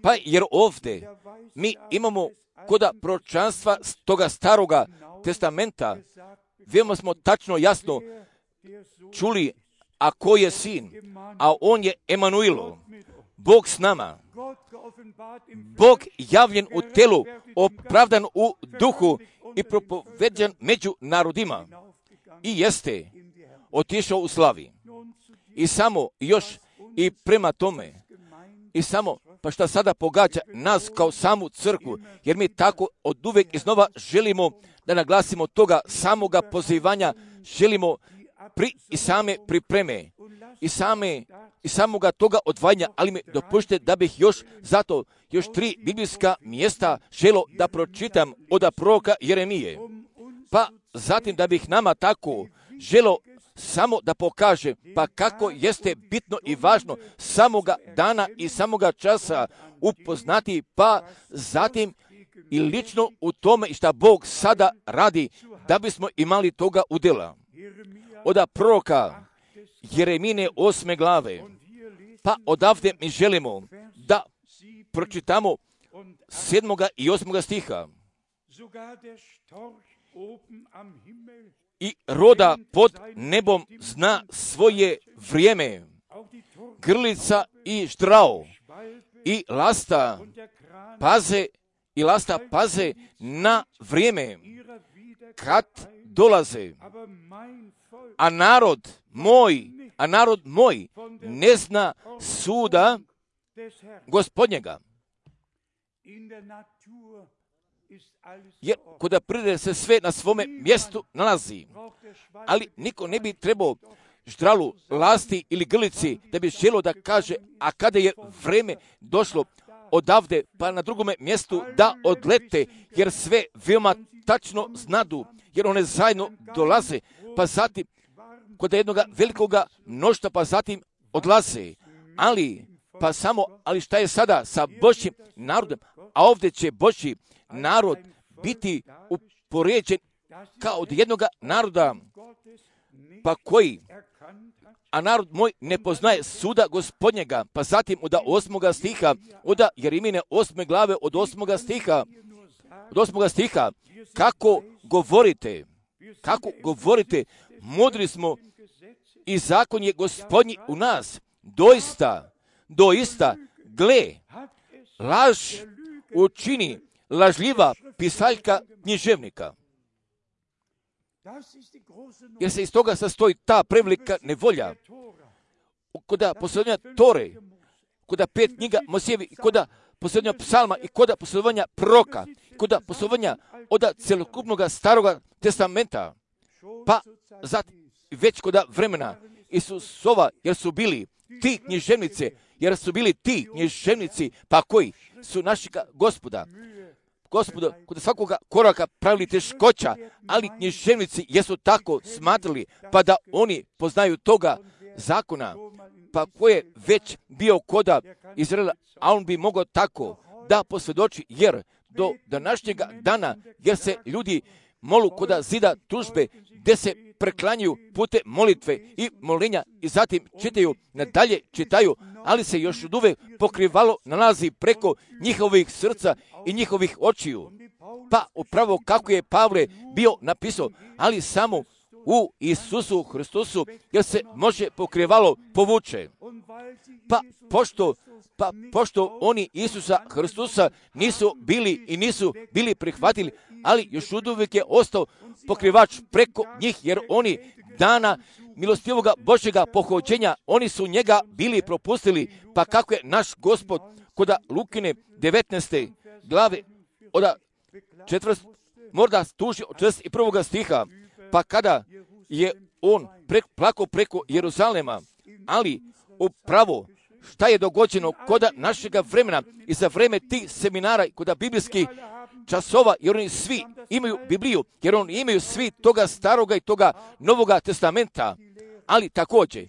Pa jer ovdje mi imamo kod proročanstva toga staroga testamenta, veoma smo tačno jasno čuli, a ko je sin, a on je Emanuilo, Bog s nama, Bog javljen u telu, opravdan u duhu i propoveđan među narodima i jeste otišao u slavi. I samo još i prema tome, i samo, pa šta sada pogađa nas kao samu crkvu, jer mi tako od uvek iznova želimo da naglasimo toga samoga pozivanja, želimo i same pripreme, i samoga toga odvajanja, ali mi dopušte da bih još 3 biblijska mjesta želo da pročitam od proroka Jeremije. Pa zatim da bih nama tako želo samo da pokaže pa kako jeste bitno i važno samoga dana i samoga časa upoznati, pa zatim i lično u tome šta Bog sada radi da bismo imali toga udjela. Od proroka Jeremine 8. glave, pa odavde mi želimo da pročitamo 7. i 8. stiha. I roda pod nebom zna svoje vrijeme, grlica i štrao i lasta paze na vrijeme kad dolaze. A narod moj ne zna suda Gospodnjega. Jer kod prirode se sve na svome mjestu nalazi. Ali niko ne bi trebao ždralu, lasti ili grlici da bi želio da kaže, a kada je vreme došlo odavde pa na drugome mjestu da odlete, jer sve veoma tačno znadu, jer one zajedno dolaze, pa zatim kod jednog velikoga mnoštva, pa zatim odlaze. Ali šta je sada sa Božjim narodom? A ovdje će Božji narod biti upoređen kao od jednog naroda, pa koji, a narod moj ne poznaje suda Gospodnjega. Pa zatim od 8. stiha, od Jeremine 8. glave od 8. stiha, kako govorite, mudri smo i zakon je Gospodnji u nas. Doista, gle, laž učini lažljiva pisaljka književnika. Jer se iz toga sastoji ta prevelika nevolja. Kod posjedovanja Tore, kod 5 knjiga Mojsijevi, kod posjedovanja psalma i kod posjedovanja proroka, kod posjedovanja od celokupnog staroga testamenta, pa zatim već kod vremena Isusova, jer su bili ti književnici, pa koji su našega Gospoda, kod svakoga koraka pravili teškoća, ali književnici jesu tako smatrali, pa da oni poznaju toga zakona, pa ko je već bio koda Izraela, a on bi mogao tako da posvjedoči, jer do današnjega dana, jer se ljudi molu koda zida tužbe, gdje se preklanjaju pute molitve i molenja i zatim čitaju, ali se još od uvek pokrivalo nalazi preko njihovih srca i njihovih očiju. Pa upravo kako je Pavle bio napisao, ali samo u Isusu Hristusu, jer se može pokrivalo povuče. Pošto oni Isusa Hristusa nisu bili prihvatili, ali još uvijek je ostao pokrivač preko njih, jer oni dana milostivoga Božjega pohođenja, oni su njega bili propustili, pa kako je naš Gospod kod Lukine 19. glave od 4. možda tuži od 41. stiha, pa kada je on plakao preko Jeruzalema, ali upravo šta je dogođeno kod našega vremena i za vreme tih seminara, kod biblijskih časova, jer oni svi imaju Bibliju, jer oni imaju svi toga staroga i toga novoga testamenta, ali također,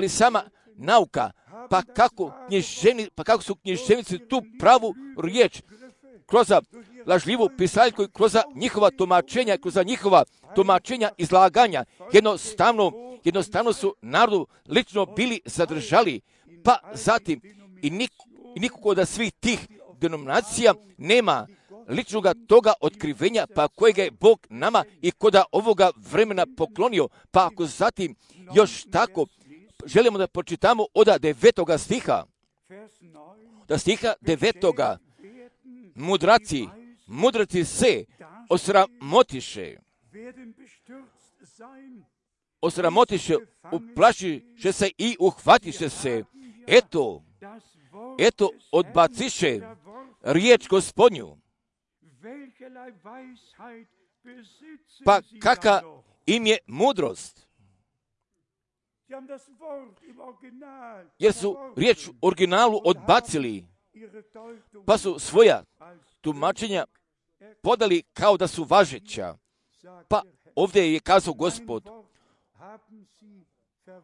sama nauka, pa kako su književnici tu pravu riječ kroz lažljivu pisaljku i kroz njihova tumačenja, izlaganja, jednostavno su narodu lično bili zadržali, pa zatim i nikogo od svih tih denominacija nema ličnog toga otkrivenja, pa kojega je Bog nama i koda ovoga vremena poklonio. Pa ako zatim još tako želimo da pročitamo od 9. stiha, da stiha 9. mudraci se osramotiše, uplašiše se i uhvatiše se. Eto, odbaciše riječ Gospodnju. Pa kaka im je mudrost? Jer su riječ u originalu odbacili, pa su svoja tumačenja podali kao da su važeća. Pa ovdje je kazao Gospod,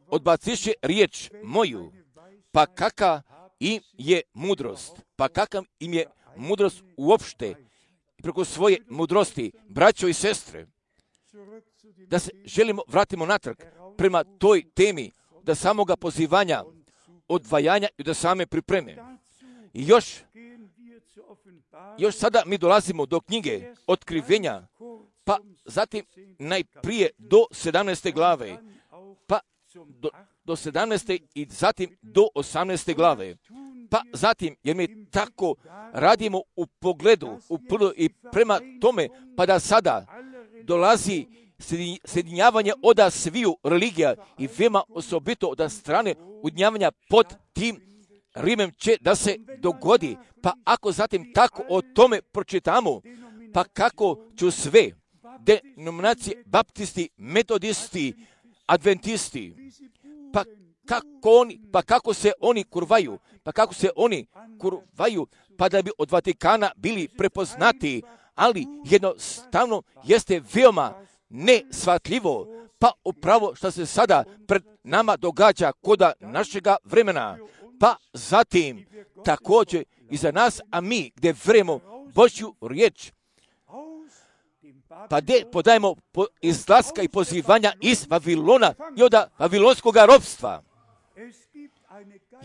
odbaciše riječ moju, pa kaka im je mudrost? Pa kakav im je mudrost uopšte preko svoje mudrosti, braćo i sestre? Da se vratimo natrag prema toj temi, da samoga pozivanja, odvajanja i da same pripreme. I još sada mi dolazimo do knjige Otkrivenja, pa zatim najprije do 17. glave, pa do 17. i zatim do 18. glave. Pa zatim, jer mi tako radimo u pogledu i prema tome, pa da sada dolazi sjedinjavanje od sviju religija i veoma osobito od strane udnjavanja pod tim Rimem će da se dogodi. Pa ako zatim tako o tome pročitamo, pa kako ću sve denominacije, baptisti, metodisti, adventisti, pa kako se oni kurvaju, pa da bi od Vatikana bili prepoznati, ali jednostavno jeste veoma nesvatljivo, pa upravo što se sada pred nama događa koda našega vremena, pa zatim također i za nas, a mi gdje vremo Božju riječ, pa gdje podajemo izlaska i pozivanja iz Vavilona i od vavilonskog ropstva.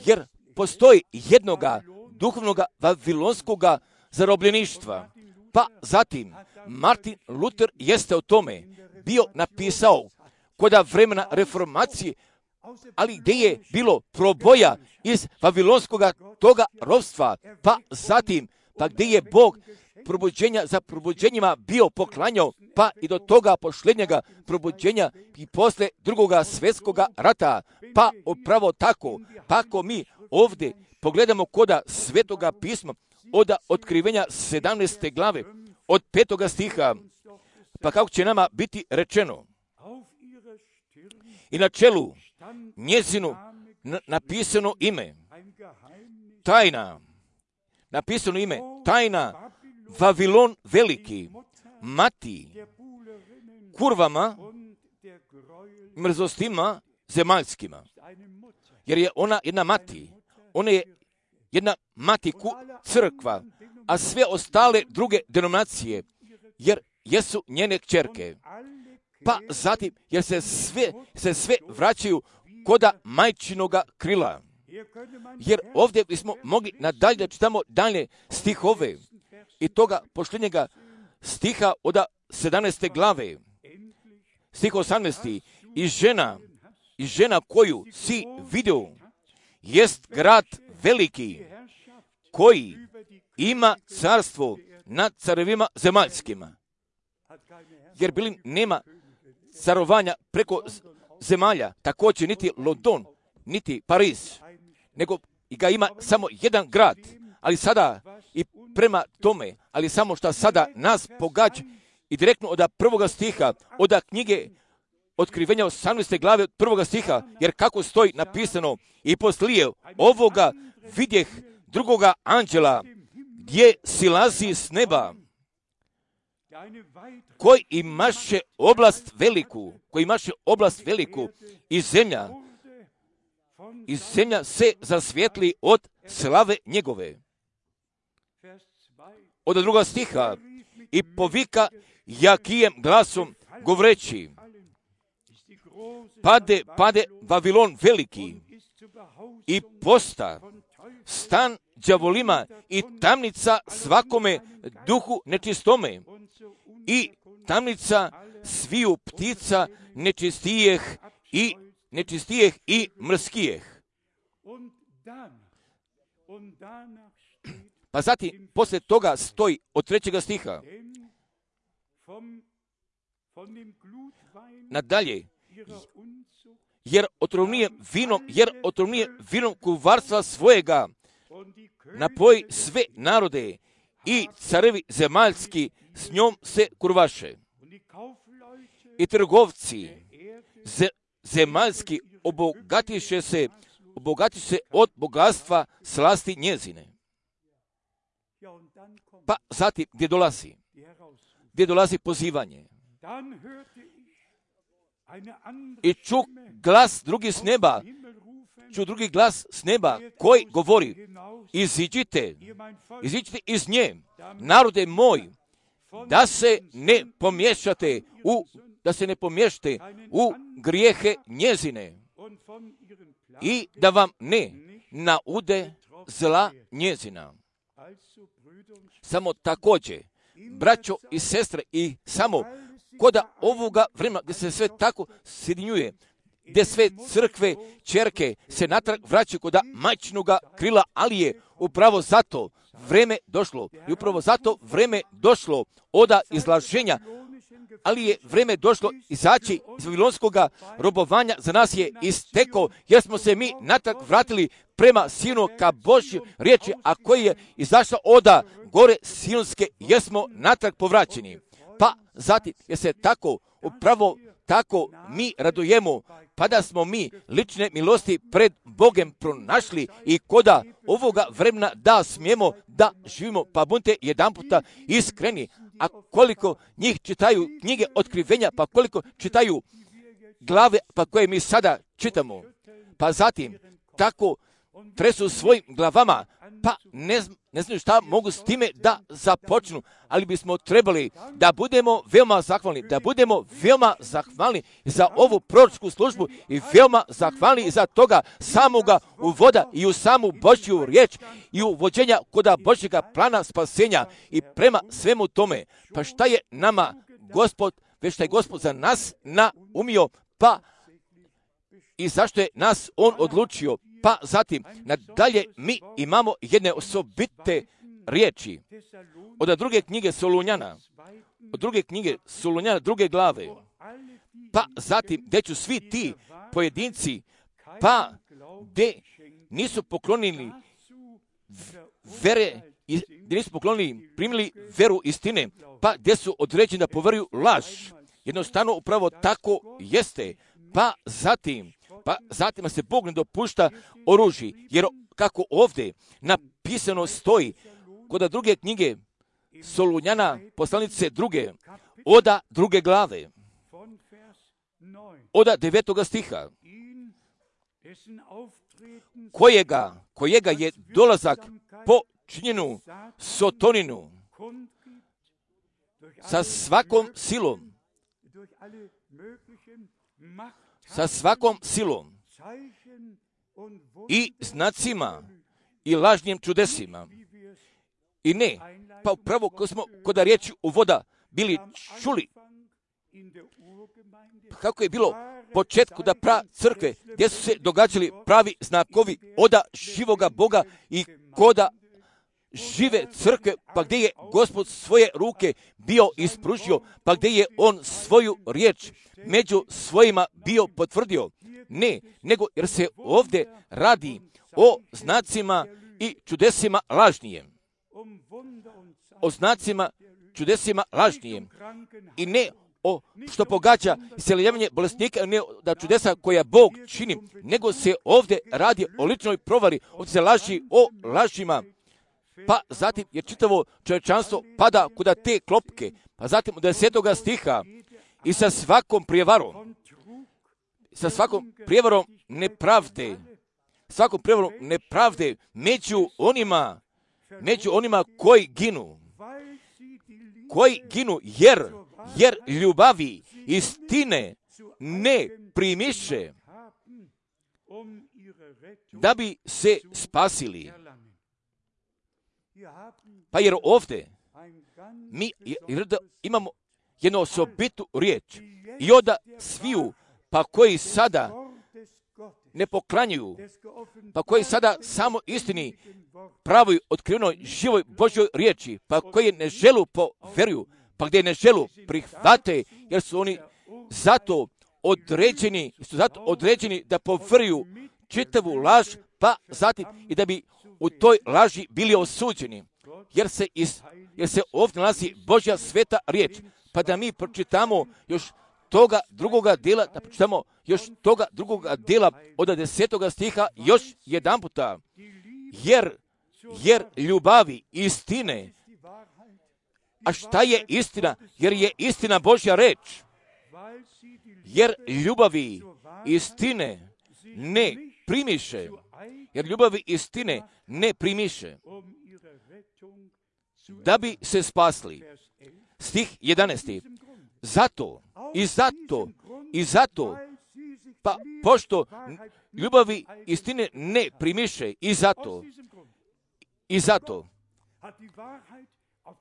Jer postoji jednoga duhovnoga vavilonskog zarobljeništva. Pa zatim Martin Luther jeste o tome bio napisao koda vremena reformacije, ali gdje je bilo proboja iz vavilonskog toga ropstva, pa zatim, pa gdje je Bog probuđenja za probuđenjima bio poklanjao, pa i do toga posljednjega probuđenja i posle drugoga svjetskog rata, pa upravo tako, pa ako mi ovdje pogledamo koda Svetoga pisma, od otkrivenja 17. glave, od 5. stiha, pa kako će nama biti rečeno, i na čelu njezinu napisano ime, tajna, napisano ime, tajna, Vavilon veliki, mati, kurvama, mrzostima zemaljskima. Jer je ona jedna mati, ona je jedna mati crkva, a sve ostale druge denominacije, jer jesu njene kćerke. Pa zatim, jer se sve vraćaju koda majčinoga krila. Jer ovdje bismo mogli nadalje da čitamo dalje stihove i toga posljednjega stiha od 17. glave. Stih 18. I žena koju si vidio jest grad veliki koji ima carstvo nad carevima zemaljskima. Jer bilin nema carovanja preko zemalja, također niti London, niti Pariz, nego ga ima samo jedan grad, ali sada i prema tome, ali samo što sada nas pogađa i direktno od 1. stiha, od knjige Otkrivenja 18. glave od 1. stiha, jer kako stoji napisano, i poslije ovoga vidjeh drugoga anđela gdje silazi s neba, koji imaše oblast veliku i zemlja se zasvijetli od slave njegove. Od 2. stiha, i povika jakijem glasom govoreći, pade Vavilon veliki i posta stan đavolima i tamnica svakome duhu nečistome i tamnica sviju ptica nečistijeh i mrskijeh. Pa zatim, poslije toga stoji od 3. stiha nadalje, jer otrovnije vinom kuvarstva svojega napoj sve narode i carevi zemaljski s njom se kurvaše. I trgovci zemaljski obogatiše se od bogatstva slasti njezine. Pa zatim, gdje dolazi pozivanje. I ču drugi glas s neba koji govori, iziđite iz nje, narode moj, da se ne pomiješate u grijehe njezine i da vam ne naude zla njezina. Samo također, braćo i sestre, i samo koda ovoga vremena gdje se sve tako sjedinjuje, gdje sve crkve, čerke se natrag vraćaju koda majčinoga krila, ali je upravo zato vreme došlo. I upravo zato vreme došlo od izlaženja ali je vreme došlo izaći iz vavilonskog robovanja, za nas je istekao, jer smo se mi natrag vratili prema Sinu ka Božjoj riječi, a koji je izašao oda gore Sionske, jer smo natrag povraćeni. Pa zatim, jer se tako, upravo tako mi radujemo, pa da smo mi lične milosti pred Bogem pronašli i koda ovoga vremena da smijemo da živimo, pa budite jedan puta iskreni. A koliko njih čitaju knjige otkrivenja, pa koliko čitaju glave, pa koje mi sada čitamo, pa zatim tako tresu svojim glavama, pa ne znaju šta mogu s time da započnu, ali bismo trebali da budemo veoma zahvalni za ovu proročku službu i veoma zahvalni za toga samoga uvoda i u samu Božju riječ i u vođenja koda Božjega plana spasenja i prema svemu tome. Pa šta je nama Gospod, već šta je Gospod za nas naumio, pa i zašto je nas On odlučio. Pa zatim, nadalje mi imamo jedne osobite riječi od druge knjige Solunjana, druge glave. Pa zatim, gdje ću svi ti pojedinci, pa gdje nisu poklonili vere, gdje nisu poklonili, primili veru istine, pa gdje su određeni da poveruju laž. Jednostavno upravo tako jeste. Pa zatim se Bog ne dopušta oružje, jer kako ovdje napisano stoji kod druge knjige Solunjana, poslanice druge, oda druge glave, oda 9. stiha, kojega je dolazak po činjenu Sotoninu sa svakom silom i znacima i lažnim čudesima. I ne, pa upravo kod riječi uvoda bili čuli kako je bilo početku da crkve, gdje su se događali pravi znakovi oda živoga Boga i koda žive crkve, pa gdje je Gospod svoje ruke bio ispružio, pa gdje je On svoju riječ među svojima bio potvrdio. Ne, nego jer se ovdje radi o znacima i čudesima lažnijem. O znacima, čudesima lažnijem. I ne o što pogađa isceljavanje bolesnika, ne da čudesa koja Bog čini, nego se ovdje radi o ličnoj provari, ovdje se laži o lažima. Pa zatim je čitavo čovječanstvo pada kuda te klopke, pa zatim od 10. stiha i sa svakom prijevarom nepravde među onima koji ginu, jer ljubavi istine ne primiše da bi se spasili. Pa jer ovdje mi imamo jednu osobitu riječ i onda sviju, pa koji sada ne poklanjuju, pa koji sada samo istini pravoj, otkrivenoj, živoj Božjoj riječi, pa koji ne želu poveruju, pa gdje ne želu prihvate, jer su oni zato određeni da poveruju čitavu laž, pa zatim i da bi u toj laži bili osuđeni, jer se ovdje nalazi Božja sveta riječ, pa da mi pročitamo još toga drugoga dijela od 10. stiha još jedan puta, jer ljubavi istine, a šta je istina? Jer je istina Božja reč, jer ljubavi istine ne primiše, da bi se spasli. Stih 11. Zato, pa pošto ljubavi istine ne primiše, i zato,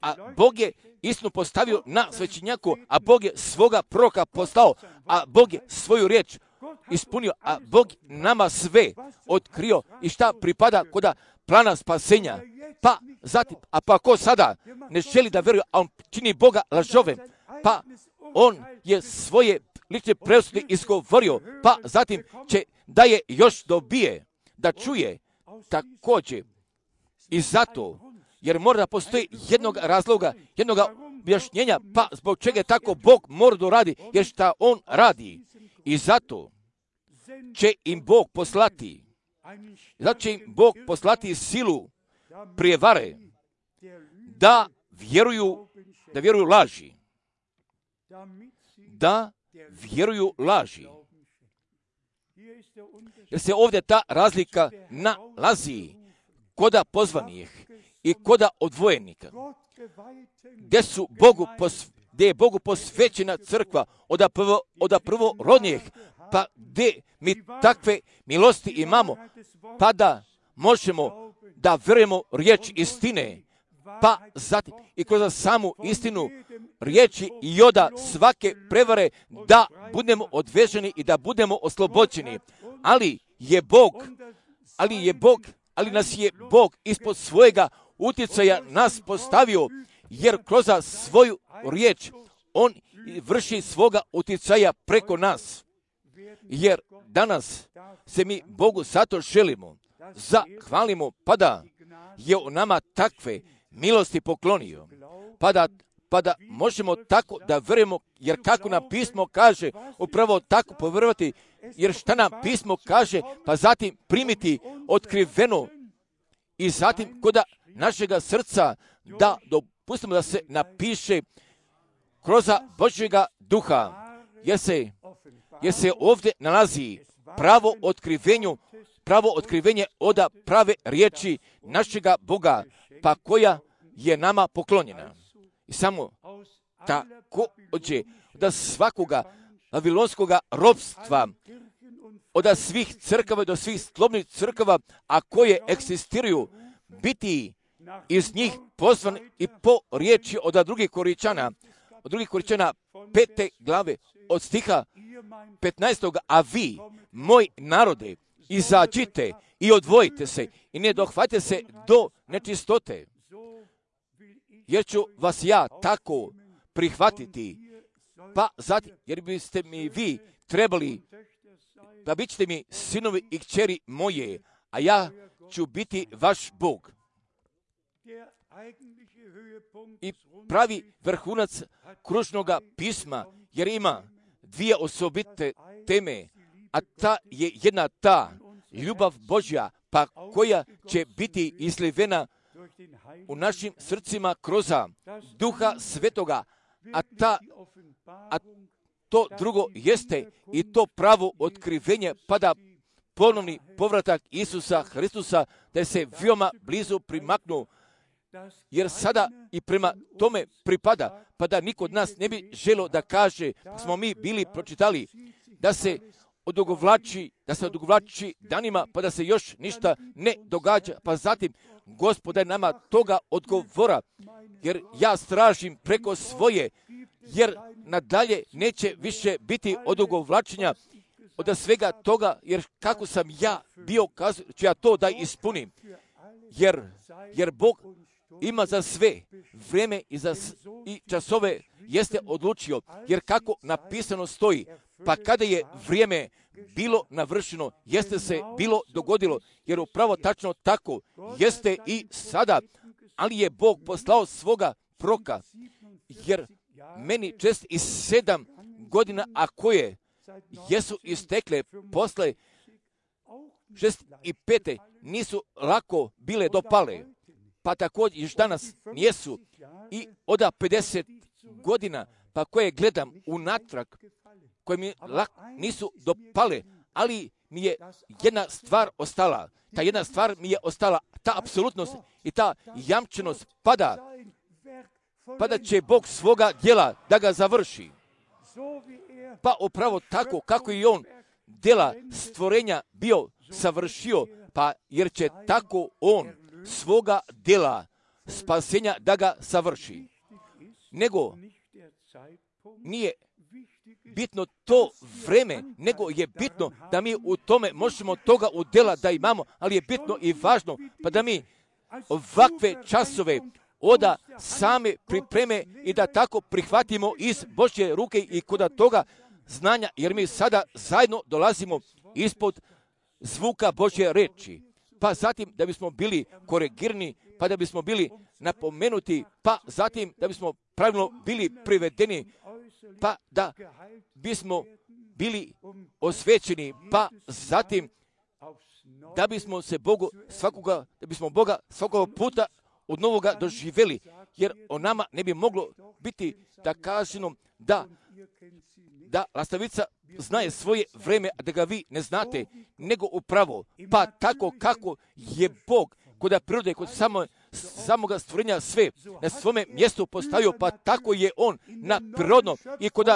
a Bog je istinu postavio na svećenjaku, a Bog je svoga proroka poslao, a Bog je svoju riječ ispunio, a Bog nama sve otkrio i šta pripada koda plana spasenja. Pa zatim, pa ko sada ne želi da veruje, a on čini Boga lažovem, pa on je svoje lične presude izgovorio, pa zatim će da je još dobije, da čuje također. I zato, jer mora da postoji jednog razloga, jednog objašnjenja, pa zbog čega tako Bog mora da radi, jer šta on radi. I zato će im Bog poslati, silu prijevare, da vjeruju laži. Da vjeruju laži. Jer se ovdje ta razlika nalazi koda pozvanih i koda odvojenika. Gdje je Bogu posvećena crkva od prvorodnijih, pa gdje mi takve milosti imamo, pa da možemo da vjerujemo riječ istine, pa zatim i kroz samu istinu riječi i oda svake prevare da budemo odveženi i da budemo oslobođeni. Ali nas je Bog ispod svojega utjecaja nas postavio, jer kroz svoju riječ on vrši svoga utjecaja preko nas. Jer danas se mi Bogu zato želimo, zahvalimo, pa da je u nama takve milosti poklonio, pa da možemo tako da vjerujemo, jer kako nam pismo kaže, upravo tako povjerovati, jer šta nam pismo kaže, pa zatim primiti otkriveno i zatim kod našega srca da dopustimo da se napiše kroz Božjega duha, jer se ovdje nalazi pravo otkrivenje od prave riječi našega Boga, pa koja je nama poklonjena. I samo također da svakoga vavilonskoga ropstva, od svih crkava do svih slobodnih crkava, a koje egzistiraju, biti iz njih pozvan i po riječi od drugih Koričana 5. glave od stiha 15. A vi, moj narode, izađite i odvojite se i ne dohvatite se do nečistote, jer ću vas ja tako prihvatiti, pa zatim, jer biste mi vi trebali, da bit ćete mi sinovi i kćeri moje, a ja ću biti vaš Bog. I pravi vrhunac kružnoga pisma, jer ima dvije osobite teme, a ta je jedna ta ljubav Božja, pa koja će biti izlivena u našim srcima kroz Duha Svetoga, a to drugo jeste i to pravo otkrivenje, pa da ponovni povratak Isusa Hristusa, da se veoma blizu primaknu, jer sada i prema tome pripada, pa da niko od nas ne bi želio da kaže, smo mi bili pročitali, da se odugovlači danima, pa da se još ništa ne događa, pa zatim Gospod nama toga odgovora, jer ja stražim preko svoje, jer nadalje neće više biti odugovlačenja od svega toga, jer kako sam ja bio kazao, ću ja to da ispunim, jer Bog ima za sve vrijeme i časove jeste odlučio, jer kako napisano stoji, pa kada je vrijeme bilo navršeno, jeste se bilo dogodilo, jer upravo tačno tako jeste i sada, ali je Bog poslao svoga proka, jer meni 7 godina, a koje jesu istekle posle 65. nisu lako bile dopale, pa također još danas nijesu, i od 50 godina, pa koje gledam unatrag, koje mi nisu dopale, ali mi je jedna stvar ostala. Ta jedna stvar mi je ostala, ta apsolutnost i ta jamčenost pada će Bog svoga djela da ga završi. Pa upravo tako kako i on djela stvorenja bio savršio, pa jer će tako on svoga djela spasenja da ga savrši. Nego nije bitno to vreme, nego je bitno da mi u tome možemo toga u djela da imamo, ali je bitno i važno, pa da mi ovakve časove oda same pripreme i da tako prihvatimo iz Božje ruke i kod toga znanja, jer mi sada zajedno dolazimo ispod zvuka Božje reči. Pa zatim da bismo bili korigirani, pa da bismo bili napomenuti, pa zatim da bismo pravilno bili privedeni, pa da bismo bili osvećeni, pa zatim da bismo se Boga svakoga puta od novoga doživjeli, jer o nama ne bi moglo biti da kažemo da lastavica znaje svoje vreme, a da ga vi ne znate, nego upravo, pa tako kako je Bog kod prirode, kod samoga stvorenja sve na svome mjestu postavio, pa tako je On na prirodno i kod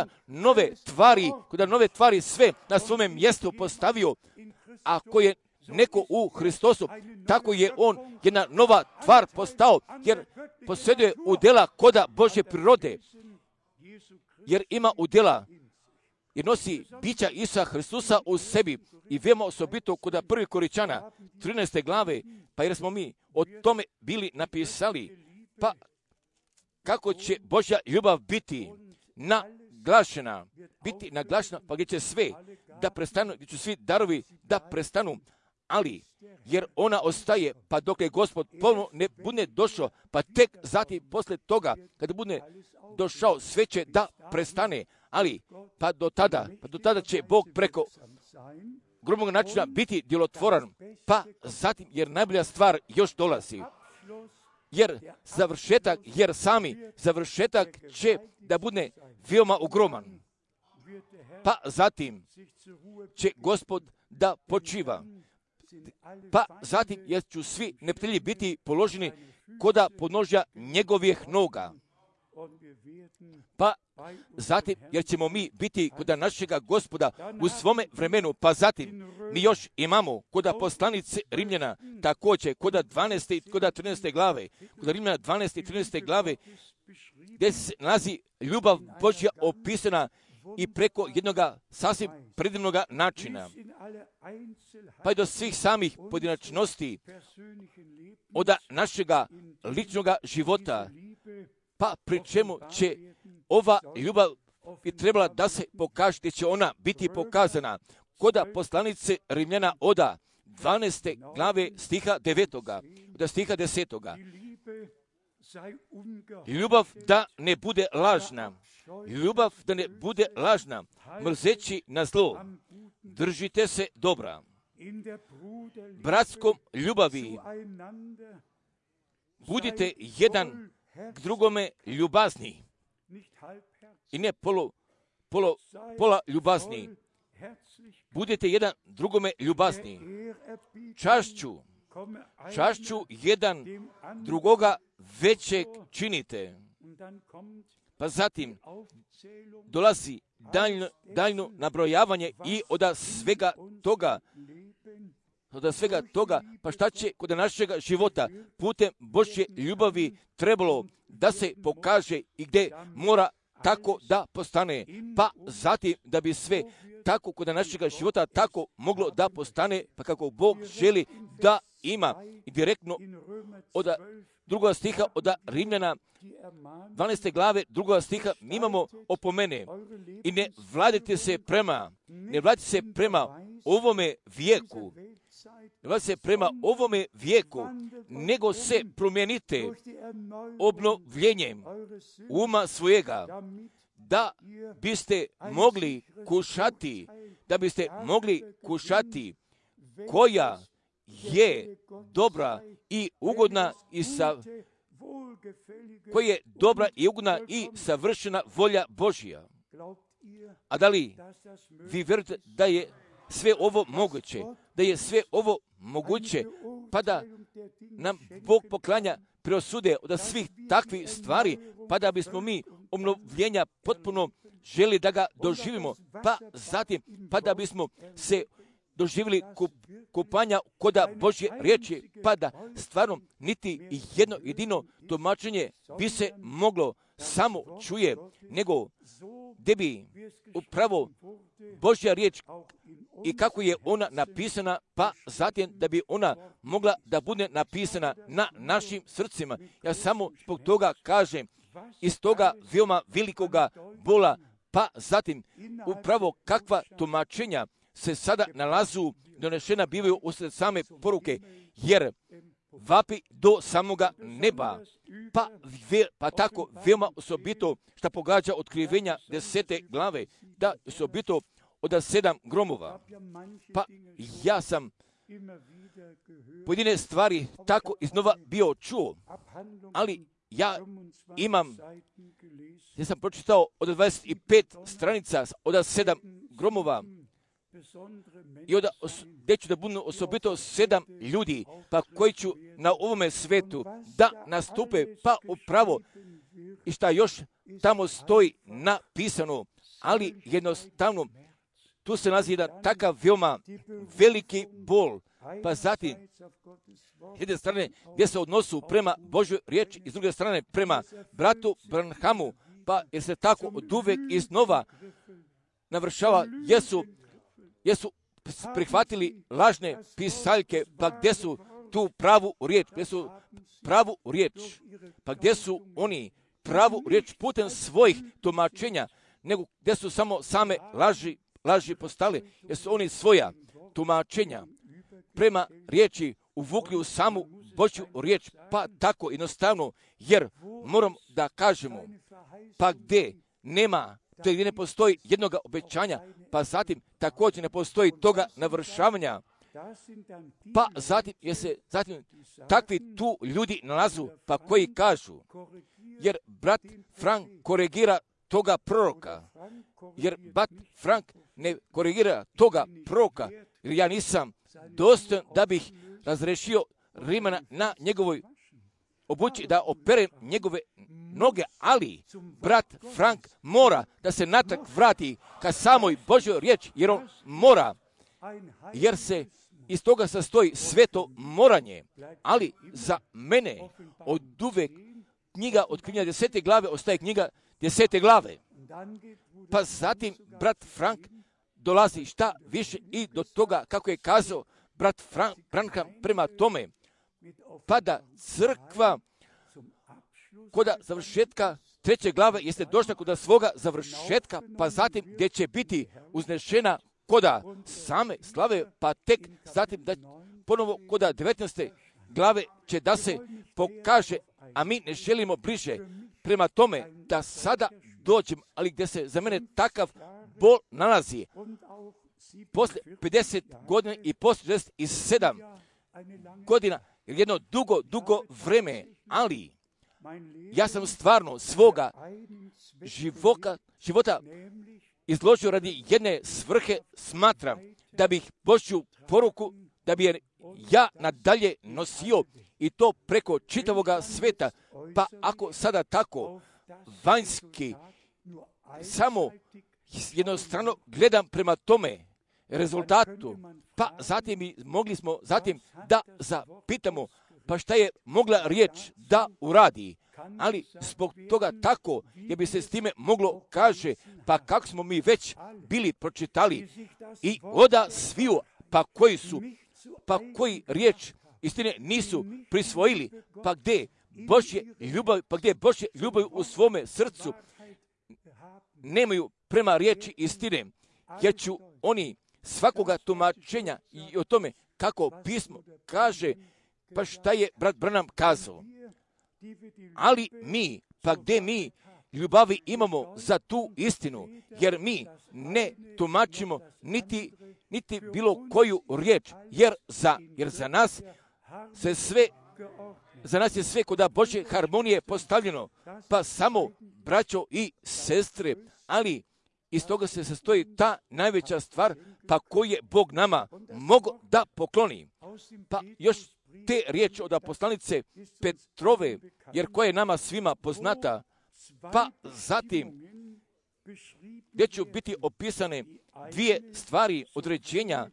nove tvari sve na svome mjestu postavio. Ako je neko u Hristosu, tako je on jedna nova tvar postao, jer posjeduje udjela koda Božje prirode, jer ima udjela, jer nosi bića Isusa Hristusa u sebi. I veoma osobito kod 1. Korinćana 13. glave, pa jer smo mi o tome bili napisali, pa kako će Božja ljubav biti naglašena, pa gdje će sve da prestanu, gdje će svi darovi da prestanu, ali jer ona ostaje, pa dok je Gospod ponovno ne bude došao, pa tek zatim poslije toga, kada bude došao, sve će da prestane, ali pa do tada će Bog preko grubog načina biti djelotvoran, pa zatim, jer najbolja stvar još dolazi, jer sami završetak će da bude veoma ogroman, pa zatim će Gospod da počiva, pa zatim jer ću svi neprijatelji biti položeni koda podnožja njegovih noga, pa zatim jer ćemo mi biti koda našega Gospoda u svome vremenu, pa zatim mi još imamo koda poslanice Rimljana, također koda 12. i koda 13. glave, koda Rimljana 12. i 13. glave, gdje se nalazi ljubav Božja opisana i preko jednoga sasvim predivnoga načina, pa i do svih samih pojedinačnosti od našega ličnoga života, pa pri čemu će ova ljubav bi trebala da se pokaže, gdje će ona biti pokazana koda poslanice Rimljana oda 12. glave stiha 9. od stiha 10. Ljubav da ne bude lažna, mrzeći na zlo, držite se dobra. Bratskom ljubavi budite jedan k drugome ljubazni i ne pola ljubazni. Budete jedan drugome ljubazni. Čašću jedan drugoga većeg činite. Pa zatim dolazi daljno nabrojavanje i od svega toga, pa šta će kod našega života putem Božje ljubavi trebalo da se pokaže i gdje mora tako da postane, pa zatim da bi sve tako kod našega života tako moglo da postane, pa kako Bog želi da ima. I direktno od drugoga stiha od Rimljana 12. glave drugoga stiha mi imamo opomene i ne vladite se prema ovome vijeku, nego se promijenite obnovljenjem uma svojega, da biste mogli kušati koja je dobra i ugodna i savršena volja Božja. A da li vi vjerujete da je sve ovo moguće, pa da nam Bog poklanja preosude od svih takvih stvari, pa da bismo mi obnovljenja potpuno želi da ga doživimo, pa zatim, pa da bismo se doživjeli kupanja koda Božje riječi, pa da stvarno niti jedno jedino tumačenje bi se moglo samo čuje, nego gdje bi upravo Božja riječ i kako je ona napisana, pa zatim da bi ona mogla da bude napisana na našim srcima. Ja samo zbog toga kažem, iz toga veoma velikoga bola, pa zatim upravo kakva tumačenja se sada nalazu, donešena bivaju usred same poruke, jer vapi do samoga neba, pa tako veoma osobito što pogađa otkrivenja 10. glave, da osobito od 7 gromova. Pa ja sam pojedine stvari tako iznova bio čuo, ali ja sam pročitao od 25 stranica od 7 gromova i gdje ću da budu osobito 7 ljudi, pa koji ću na ovome svetu da nastupe, pa upravo i šta još tamo stoji napisano, ali jednostavno tu se nalazi jedan takav veoma veliki bol, pa zatim s jedne strane gdje se odnosu prema Božoj riječi i s druge strane prema bratu Branhamu, pa jer se tako od uvek iznova navršava, jesu prihvatili lažne pisaljke, pa gdje su tu pravu riječ, pa gdje su oni pravu riječ putem svojih tumačenja, nego gdje su samo same laži postali, jer su oni svoja tumačenja prema riječi uvukli u samu Božju riječ, pa tako jednostavno, jer moram da kažemo, pa gdje ne postoji jednoga obećanja, pa zatim također ne postoji toga navršavanja, pa zatim takvi tu ljudi nalazu, pa koji kažu, jer brat Frank korigira toga proroka, jer brat Frank ne korigira toga proroka, jer ja nisam dostojan da bih razrešio Rimana na njegovoj obući, da operem njegove noge, ali brat Frank mora da se natrag vrati ka samoj Božoj riječi, jer on mora, jer se iz toga sastoji sveto moranje, ali za mene od uvek knjiga otkrivenja 10. glave ostaje knjiga 10. glave. Pa zatim brat Frank dolazi šta više i do toga, kako je kazao brat Branham prema tome, pa da crkva kod završetka 3. glave jeste došla kod svoga završetka, pa zatim gdje će biti uznešena koda same slave, pa tek zatim da ponovo koda 19. glave će da se pokaže, a mi ne želimo bliže prema tome da sada dođem, ali gdje se za mene takav bol nalazi. Posle 50 godina i posle 67 godina, jedno dugo vreme, ali ja sam stvarno svoga života izložio radi jedne svrhe, smatram da bih Božju poruku, da bi je ja nadalje nosio i to preko čitavoga sveta, pa ako sada tako vanjski samo jednostrano gledam prema tome rezultatu, pa zatim mogli smo da zapitamo, pa šta je mogla riječ da uradi, ali zbog toga tako, jer bi se s time moglo kaže, pa kako smo mi već bili pročitali i oda sviju, pa koji riječ istine nisu prisvojili, pa gdje Božje ljubav u svome srcu nemaju prema riječi istine, jer ću oni svakoga tumačenja i o tome kako pismo kaže, pa šta je brat Branham kazao. Ali mi, pa gdje mi ljubavi imamo za tu istinu, jer mi ne tumačimo niti bilo koju riječ, jer za nas je sve kod Božje harmonije postavljeno, pa samo braćo i sestre, ali iz toga se sastoji ta najveća stvar, pa koju je Bog nama mogao da pokloni. Pa još te riječi od poslanice Petrove, jer koja je nama svima poznata, pa zatim gdje će biti opisane dvije stvari određenja,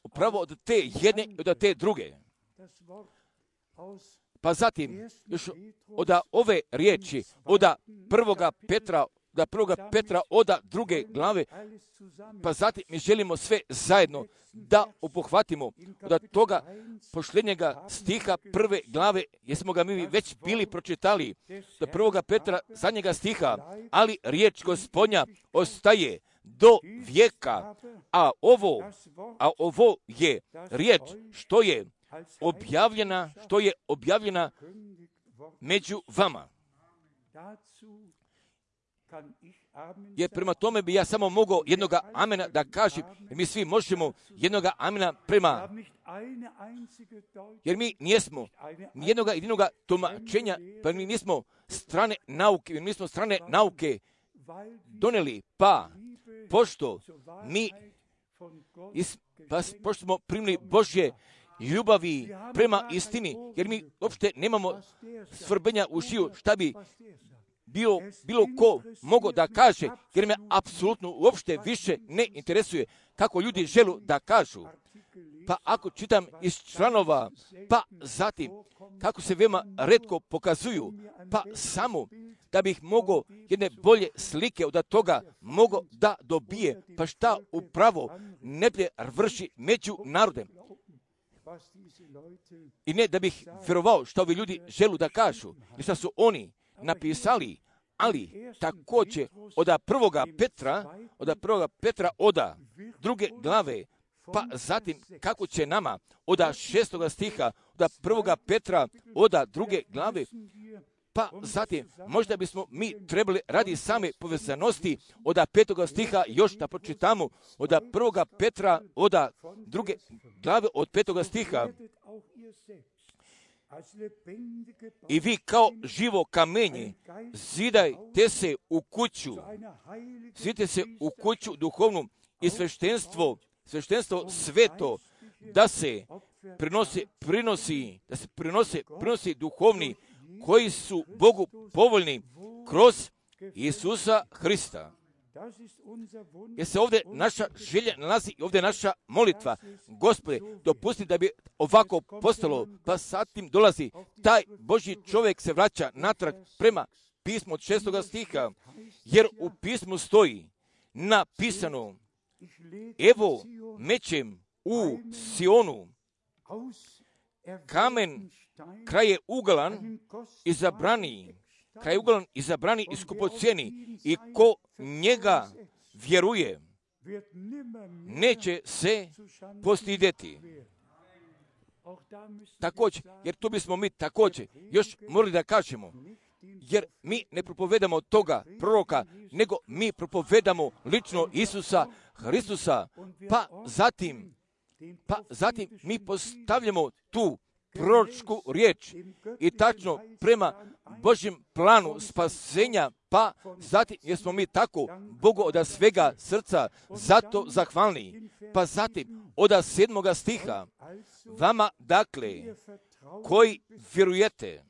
upravo od te jedne i od te druge. Pa zatim još od ove riječi, od 1. Petra, od da 1. Petra oda 2. glave, pa zatim mi želimo sve zajedno da obuhvatimo od toga posljednjega stiha 1. glave, jer smo ga mi već bili pročitali, do 1. Petra zadnjega stiha, ali riječ Gospodnja ostaje do vijeka, a ovo je riječ što je objavljena među vama. Jer prema tome bi ja samo mogao jednoga amena da kažem, jer mi svi možemo jednoga amena prema, jer mi nismo nijednoga jedinoga tumačenja, pa mi nismo strane nauke donijeli, pošto smo primili Božje ljubavi prema istini, jer mi uopšte nemamo svrbenja u šiju, šta bi bilo ko mogao da kaže, jer me apsolutno uopšte više ne interesuje kako ljudi žele da kažu. Pa ako čitam iz članova, pa zatim kako se veoma retko pokazuju, pa samo da bih mogao jedne bolje slike od toga mogao da dobije, pa šta upravo neplje vrši među narodem. I ne da bih vjerovao što ovi ljudi želu da kažu i što su oni napisali, ali također od 1. Petra oda 2. glave, pa zatim kako će nama od 6. stiha, od 1. Petra oda 2. glave, pa zatim možda bismo mi trebali radi same povezanosti od 5. stiha još da pročitamo od 1. Petra od 2. glave od 5. stiha. I vi kao živo kamenje zidajte se u kuću duhovnu i sveštenstvo sveto, da se prinosi duhovni koji su Bogu povoljni kroz Isusa Hrista. Jer se ovdje naša želja nalazi i ovdje naša molitva. Gospode, dopusti da bi ovako postalo, pa zatim dolazi taj Božji čovjek se vraća natrag prema pismu od 6. stiha, jer u pismu stoji napisano: evo mećem u Sionu kamen kraj je uglan izabrani i skupocijeni, i ko njega vjeruje neće se postidjeti. Također, jer tu bismo mi također još morali da kažemo, jer mi ne propovedamo toga proroka, nego mi propovedamo lično Isusa Hristusa, pa zatim mi postavljamo tu proročku riječ i tačno prema Božjem planu spasenja, pa zatim jer smo mi tako Bogu od svega srca zato zahvalni. Pa zatim od 7. stiha, vama dakle koji vjerujete,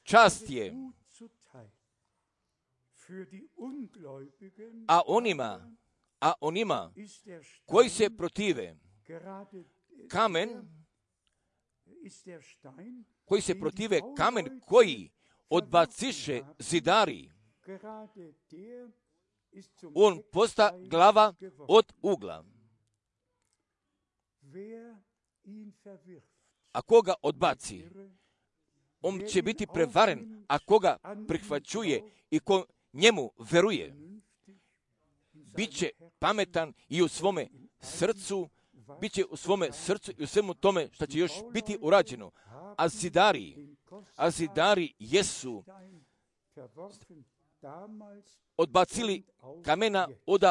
čast je, a onima koji se protive, kamen koji odbaciše zidari, on posta glava od ugla. A koga odbaci, on će biti prevaren, a koga prihvaćuje i ko njemu veruje, bit će pametan i u svome srcu, i u svemu tome što će još biti urađeno. A zidari jesu odbacili kamena od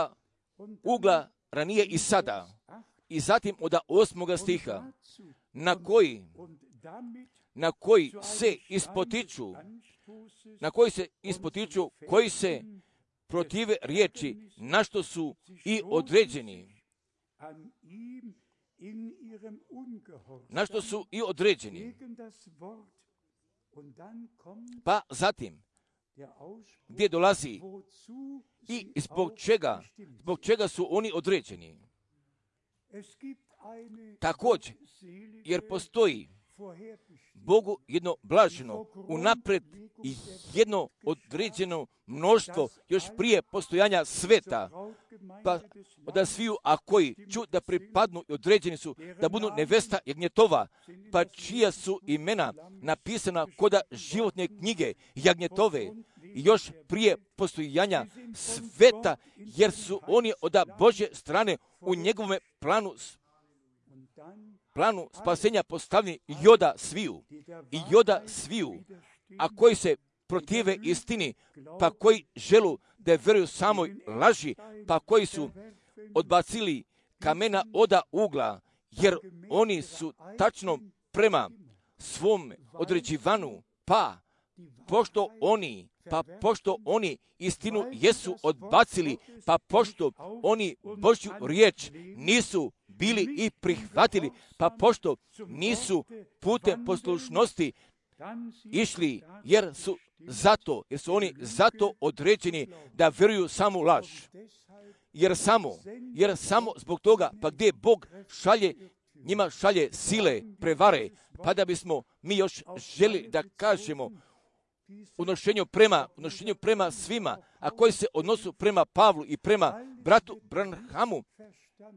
ugla ranije i sada. I zatim od 8. stiha, na koji se ispotiču, koji se protive riječi, na što su i određeni. Pa zatim, gdje dolazi i zbog čega su oni određeni. Također, jer postoji Bogu jedno blaženo, unapred jedno određeno mnoštvo još prije postojanja sveta, pa od sviju, a koji ću da pripadnu i određeni su da budu nevesta jagnjetova, pa čija su imena napisana koda životne knjige jagnjetove, još prije postojanja sveta, jer su oni od Božje strane u njegovome planu spasenja postavljeni joda sviju, a koji se protive istini, pa koji želu da veruju samoj laži, pa koji su odbacili kamena oda ugla, jer oni su tačno prema svom određivanu, pa pošto oni istinu jesu odbacili, pa pošto oni Božju riječ nisu bili i prihvatili, pa pošto nisu putem poslušnosti išli, jer su oni zato određeni da vjeruju samu laž. Jer samo zbog toga, pa gdje Bog njima šalje sile, prevare, pa da bismo mi još želi da kažemo odnošenju prema svima, a koji se odnosu prema Pavlu i prema bratu Branhamu,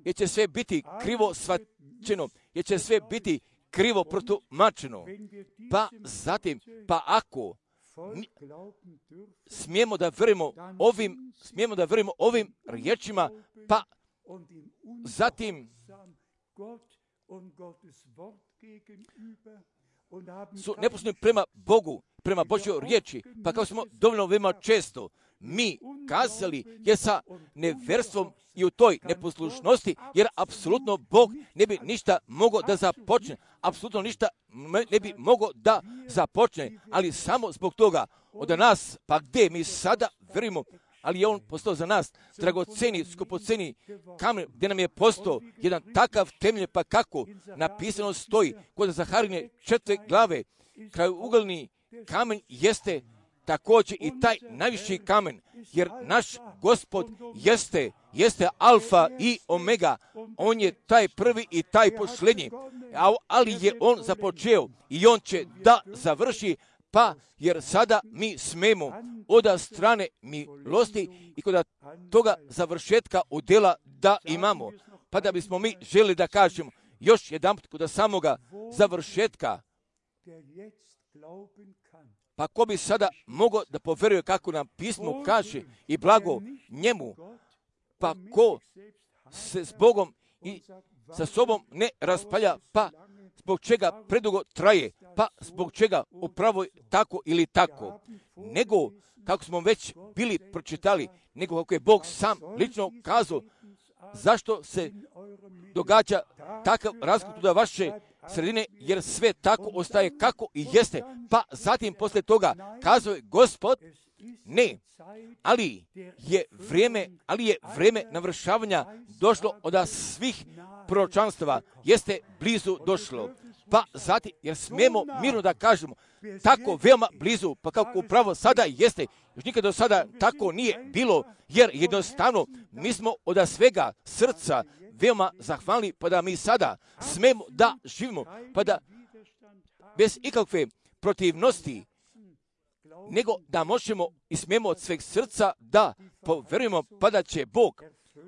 jer će sve biti krivo shvaćeno, jer će sve biti krivo protumačeno. Pa ako smijemo da verujemo ovim riječima, pa zatim su neposredni prema Bogu, prema Božjoj riječi, pa kao smo dovoljno veoma često mi kazali, jer sa neverstvom i u toj neposlušnosti, jer apsolutno Bog ne bi ništa mogao da započne, apsolutno ništa ne bi mogao da započne, ali samo zbog toga od nas, pa gdje mi sada verujemo, ali je on postao za nas dragoceni, skupoceni kamen, gdje nam je postao jedan takav temelj, pa kako napisano stoji kod Zaharine 4. glave, krajugalni kamen jeste također i taj najviši kamen, jer naš Gospod jeste alfa i omega, on je taj prvi i taj posljednji, ali je on započeo i on će da završi, pa jer sada mi smemo od strane milosti i kod toga završetka udjela da imamo, pa da bismo mi želi da kažemo još jedanput kod samoga završetka, pa ko bi sada mogao da poveruje kako nam pismo kaže i blago njemu, pa ko se s Bogom i sa sobom ne raspalja, pa zbog čega predugo traje, pa zbog čega upravo tako ili tako, nego kako smo već bili pročitali, nego kako je Bog sam lično kazao, zašto se događa takav razgod do vaše sredine, jer sve tako ostaje kako i jeste, pa zatim posle toga kazao je Gospod, ne, ali je vrijeme navršavanja došlo od svih proročanstava, jeste blizu došlo, pa zatim, jer smemo mirno da kažemo, tako veoma blizu, pa kako upravo sada jeste, još nikad do sada tako nije bilo, jer jednostavno mi smo od svega srca veoma zahvalni, pa da mi sada smemo da živimo, pa da bez ikakve protivnosti, nego da možemo i smemo od sveg srca da poverujemo, pa da će Bog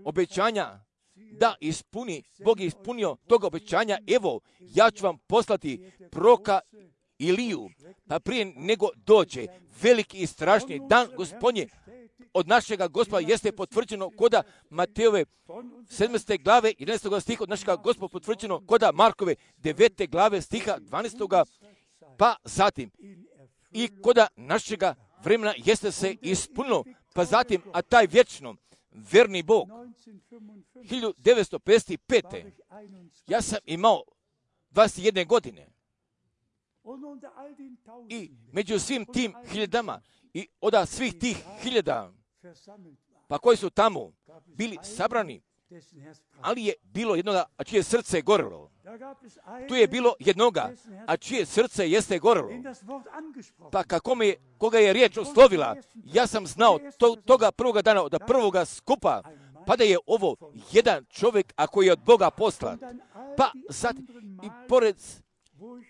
obećanja da ispuni, Bog je ispunio toga obećanja, evo, ja ću vam poslati proroka Iliju, pa prije nego dođe veliki i strašni dan Gospodnje od našega Gospoda jeste potvrđeno koda Matejove 7. glave 11. stiha, od našega Gospoda potvrđeno koda Markove 9. glave stiha 12. pa zatim i koda našega vremena jeste se ispunilo, pa zatim, a taj vječno verni Bog 1955. ja sam imao 21 godine i među svim tim hiljadama i od svih tih hiljada, pa koji su tamo bili sabrani, ali je bilo jednoga, a čije srce je gorelo. Tu je bilo jednoga, a čije srce jeste gorelo. Pa koga je riječ oslovila, ja sam znao toga prvoga dana, od prvoga skupa, pa da je ovo jedan čovjek, a koji je od Boga poslan. Pa sad, i pored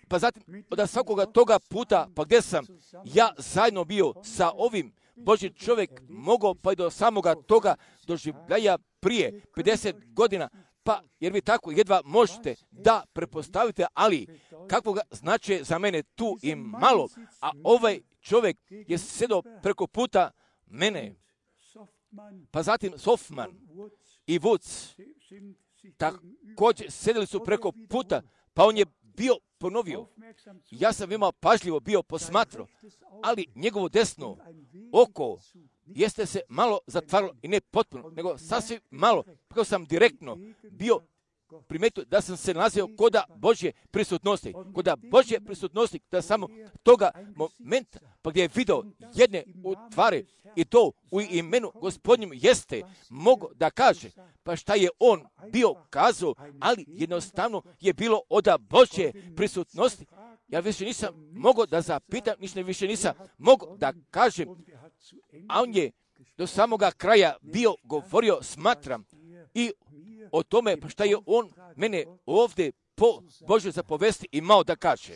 pa zatim od svakoga toga puta, pa gdje sam ja zajedno bio sa ovim Božji čovjek mogao pa i do samoga toga doživljaja prije 50 godina, pa jer vi tako jedva možete da prepostavite, ali kakvoga značaja za mene tu i malo, a ovaj čovjek je sjedao preko puta mene, pa zatim Softman i Woods također sjedili su preko puta, pa on je bio ponovio. Ja sam veoma pažljivo bio posmatrao, ali njegovo desno oko jeste se malo zatvaralo i ne potpuno, nego sasvim malo, kako sam direktno bio primetio da sam se nalazio koda Božje prisutnosti. Koda Božje prisutnosti, da samo toga momenta, pa gdje je video jedne u tvari i to u imenu Gospodnjem jeste, mogu da kaže, pa šta je on bio kazao, ali jednostavno je bilo od Božje prisutnosti. Ja više nisam mogao da zapitam, više nisam mogao da kažem, a on je do samoga kraja bio govorio, smatram, i o tome pa šta je on mene ovdje po Božoj zapovesti imao da kaže.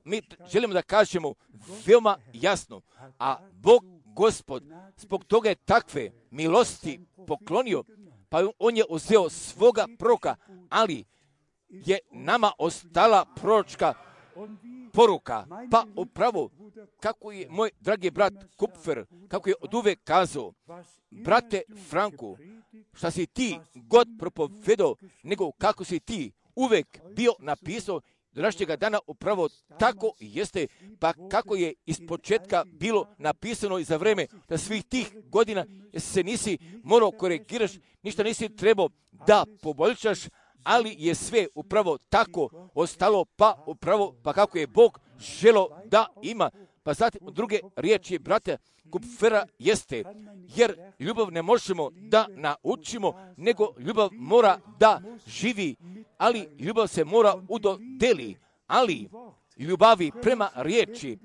Mi želimo da kažemo veoma jasno, a Bog Gospod zbog toga je takve milosti poklonio, pa on je uzeo svoga proroka, ali je nama ostala proročka poruka. Pa upravo, kako je moj dragi brat Kupfer, kako je od uvek kazao, brate Franku, šta si ti god propovedao, nego kako si ti uvek bio napisao do današnjega dana, upravo tako jeste, pa kako je iz početka bilo napisano i za vreme da svih tih godina se nisi morao korigiraš, ništa nisi trebao da poboljšaš, ali je sve upravo tako ostalo, pa upravo pa kako je Bog želo da ima. Pa zatim druge riječi brata Kupfera jeste, jer ljubav ne možemo da naučimo, nego ljubav mora da živi, ali ljubav se mora udodeli, ali ljubavi prema riječi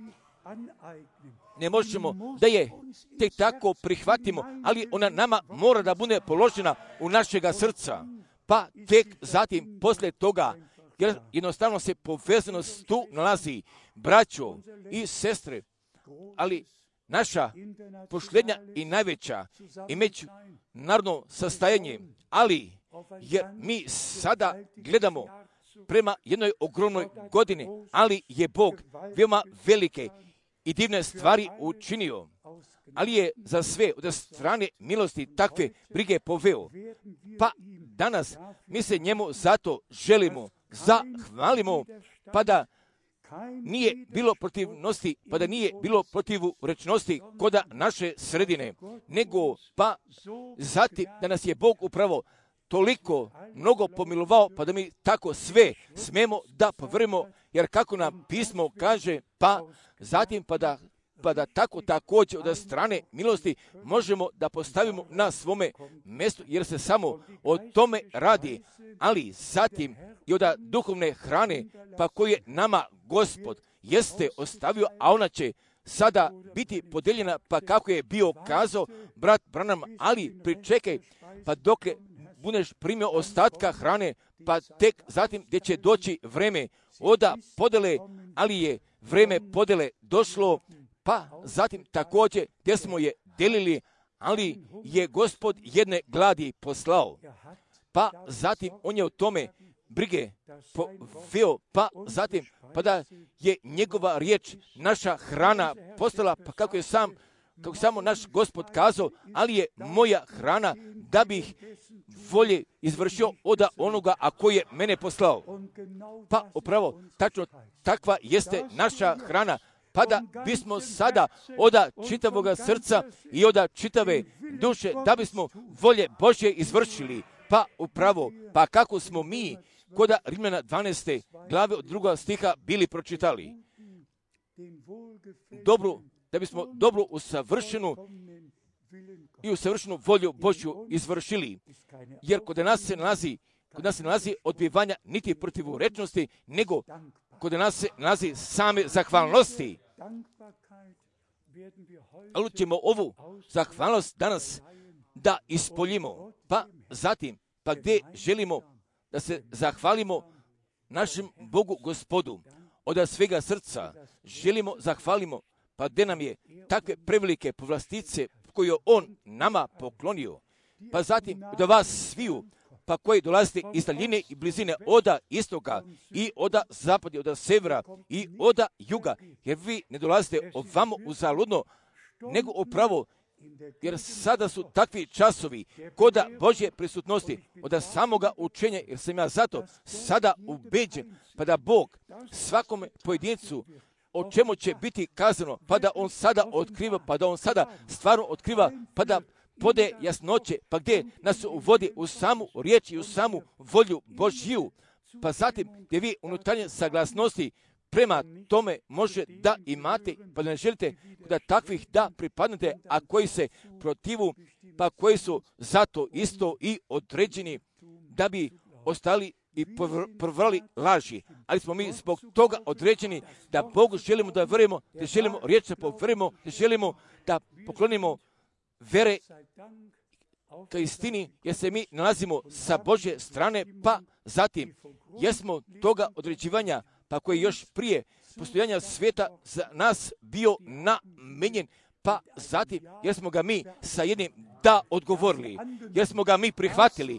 ne možemo da je tek tako prihvatimo, ali ona nama mora da bude položena u našega srca. Pa tek zatim poslije toga, jer jednostavno se povezanost tu nalazi, braćo i sestre, ali naša posljednja i najveća i međunarodno sastajanje, ali jer mi sada gledamo prema jednoj ogromnoj godini, ali je Bog veoma velike i divne stvari učinio, ali je za sve od strane milosti takve brige poveo. Pa danas mi se njemu zato želimo, zahvalimo, pa da nije bilo protivnosti, pa da nije bilo protivrečnosti koda naše sredine, nego pa zatim da nas je Bog upravo toliko mnogo pomilovao, pa da mi tako sve smemo da povrimo, jer kako nam pismo kaže, pa zatim pa da tako također od strane milosti možemo da postavimo na svome mjestu, jer se samo o tome radi, ali zatim i od duhovne hrane, pa koje nama Gospod jeste ostavio, a ona će sada biti podijeljena, pa kako je bio kazao brat Branham, ali pričekaj, pa dok budeš primio ostatka hrane, pa tek zatim gdje će doći vreme oda podele, ali je vreme podele došlo, pa zatim također gdje smo je delili, ali je Gospod jedne gladi poslao. Pa zatim on je o tome brige poveo, pa zatim pa da je njegova riječ naša hrana postala, pa kako samo naš Gospod kazao, ali je moja hrana da bih volje izvršio od onoga a koji je mene poslao. Pa upravo tačno takva jeste naša hrana, pa da bismo sada od čitavoga srca i od čitave duše, da bismo volje Božje izvršili. Pa upravo, pa kako smo mi kod Rimljana 12. glave od 2. stiha bili pročitali. Da bismo dobro usavršenu i usavršenu volju Božju izvršili. Jer kod nas se nalazi odbivanja niti protivrečnosti, nego kod nas se nalazi same zahvalnosti. Ali ćemo ovu zahvalnost danas da ispoljimo, pa zatim, pa gdje želimo da se zahvalimo našem Bogu Gospodu od svega srca želimo zahvalimo, pa gdje nam je takve prevelike povlastice koje On nama poklonio, pa zatim do vas sviju, pa koji dolazite iz daljine i blizine oda istoka i oda zapada, oda severa i oda juga, jer vi ne dolazite ovamo uzaludno, nego upravo, jer sada su takvi časovi koda Božje prisutnosti, od samoga učenja, jer sam ja zato sada ubeđen, pa da Bog svakome pojedincu o čemu će biti kazano, pa da On sada otkriva, pa da On sada stvarno otkriva, pa da pode jasnoće, pa gdje nas uvodi u samu riječ i u samu volju Božju, pa zatim gdje vi unutarnje saglasnosti prema tome može da imate, pa da ne želite da takvih da pripadnete, a koji se protivu, pa koji su zato isto i određeni da bi ostali i provrali laži. Ali smo mi zbog toga određeni da Bogu želimo da verujemo, da želimo riječ da poverujemo, da želimo da poklonimo vere ka istini, jer se mi nalazimo sa Božje strane, pa zatim jesmo toga određivanja, pa koji još prije postojanja svijeta za nas bio namenjen, pa zatim jer smo ga mi sa jednim da odgovorili, jer smo ga mi prihvatili,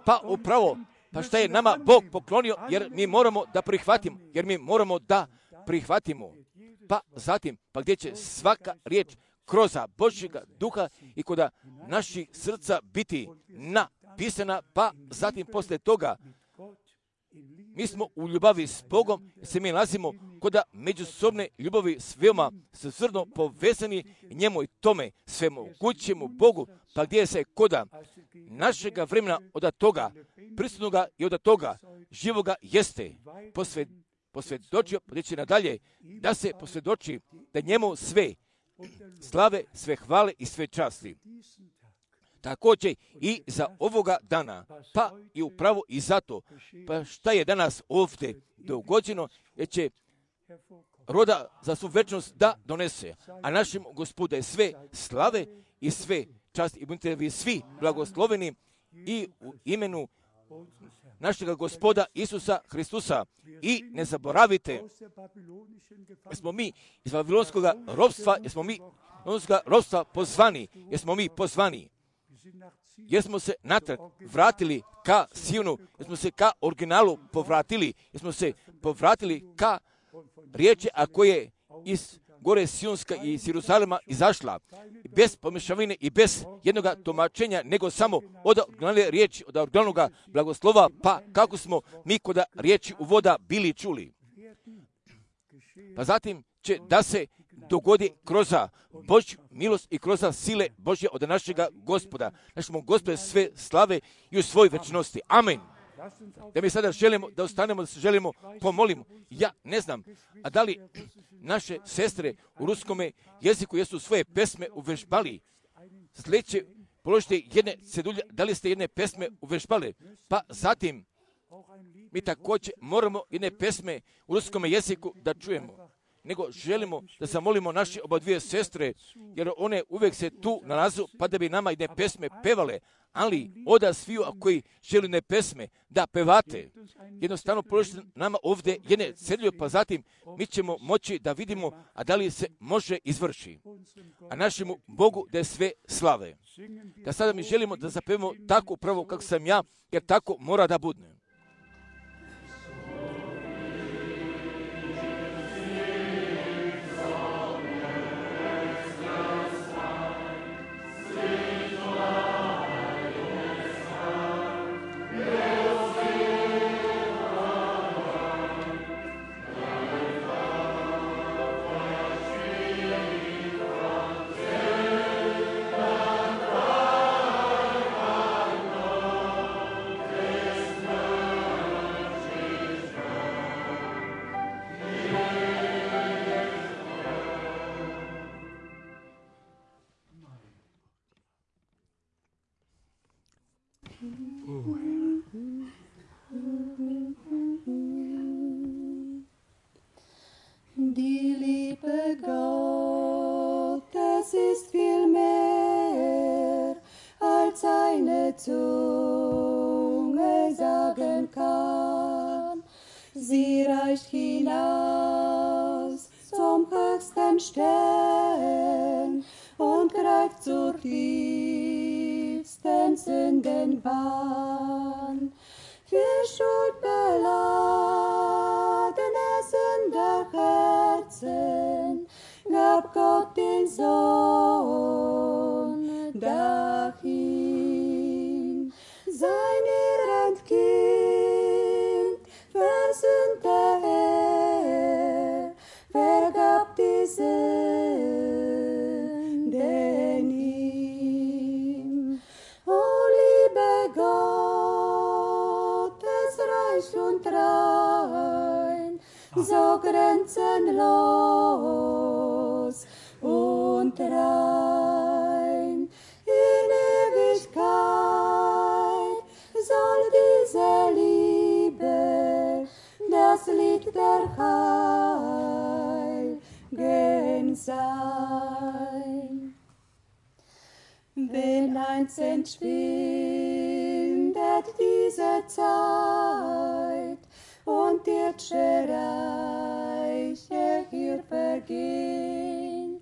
pa upravo, pa šta je nama Bog poklonio, jer mi moramo da prihvatimo, pa zatim, pa gdje će svaka riječ kroz Božjega duha i kod naših srca biti napisana, pa zatim poslije toga mi smo u ljubavi s Bogom, se mi nalazimo kod međusobne ljubavi s veoma srno povezani njemu i tome svemogućemu Bogu, pa gdje se kod našega vremena od toga prisutnoga i od toga živoga jeste posvjedočio, gdje će nadalje da se posvjedoči da njemu sve slave, sve hvale i sve časti. Također i za ovoga dana, pa i upravo i zato, pa šta je danas ovdje dogođeno, jer će roda za svu večnost da donese, a našem Gospodu je sve slave i sve časti i budite vi svi blagosloveni i u imenu našega Gospoda Isusa Hristusa. I ne zaboravite, jer smo mi iz Vavilonskog ropstva pozvani, jer smo se natrag vratili ka Sionu, jer smo se ka originalu povratili, jer smo se povratili ka riječi, a koje iz gore Sionska i iz Jeruzalema izašla, bez pomješavine i bez jednog tumačenja, nego samo od originalne riječi, od originalnog blagoslova, pa kako smo mi kod riječi uvoda bili čuli. Pa zatim će da se dogodi kroz Božju milost i kroz sile Božje od našega Gospoda. Našemu Gospodu sve slave i u svoj večnosti. Amen. Da mi sada želimo da ostanemo, da se želimo pomolimo. Ja ne znam, a da li naše sestre u ruskome jeziku jesu svoje pesme uvežbali? Sljedeće položite jedne cedulje, da li ste jedne pesme uvežbali? Pa zatim mi također moramo jedne pesme u ruskome jeziku da čujemo. Nego želimo da zamolimo naše oba dvije sestre, jer one uvijek se tu nalazu, pa da bi nama jedne pesme pevale, ali oda sviju koji želi ne pesme da pevate. Jednostavno položite nama ovdje jedne cedulje, pa zatim mi ćemo moći da vidimo, a da li se može izvrši. A našemu Bogu da je sve slave. Da sada mi želimo da zapevamo tako upravo kako sam ja, jer tako mora da bude. Die Liebe Gottes ist viel mehr, als eine Zunge sagen kann. den Stern und greift zur tiefsten Sündenbahn. Für schuldbeladene Sünderherzen gab Gott den Sohn dahin. Sein irrend Kind versöhnte er, vergab die Sünden ihm. O liebe Gottes reich und rein, so grenzenlos und rein. In Ewigkeit soll diese Liebe das Lied der Heiligen sein. Wenn einst entschwindet diese Zeit und irdische Reiche hier vergehen,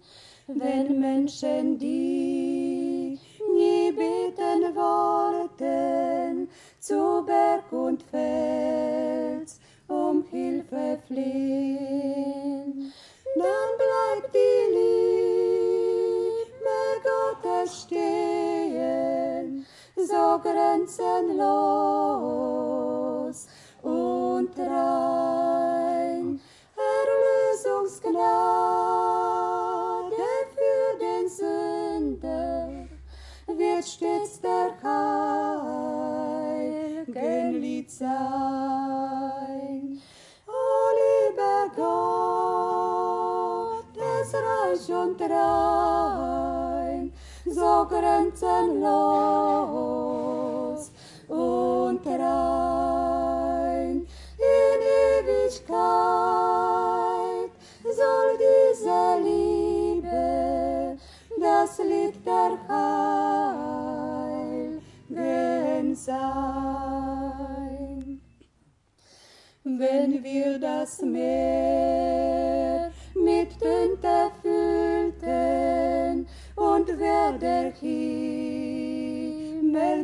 wenn Menschen, die nie beten wollten, zu Berg und Fels um Hilfe flehen, dann bleibt die Liebe Gottes stehen, so grenzenlos und rein. Erlösungsgnade für den Sünder wird stets der Heiligen Lied sein. O lieber Gott, des reich und rein, so grenzenlos und rein. In Ewigkeit soll diese Liebe das Lied der Heiligen sein. Wenn wir das Meer mit Tinte füllten und wär der Himmel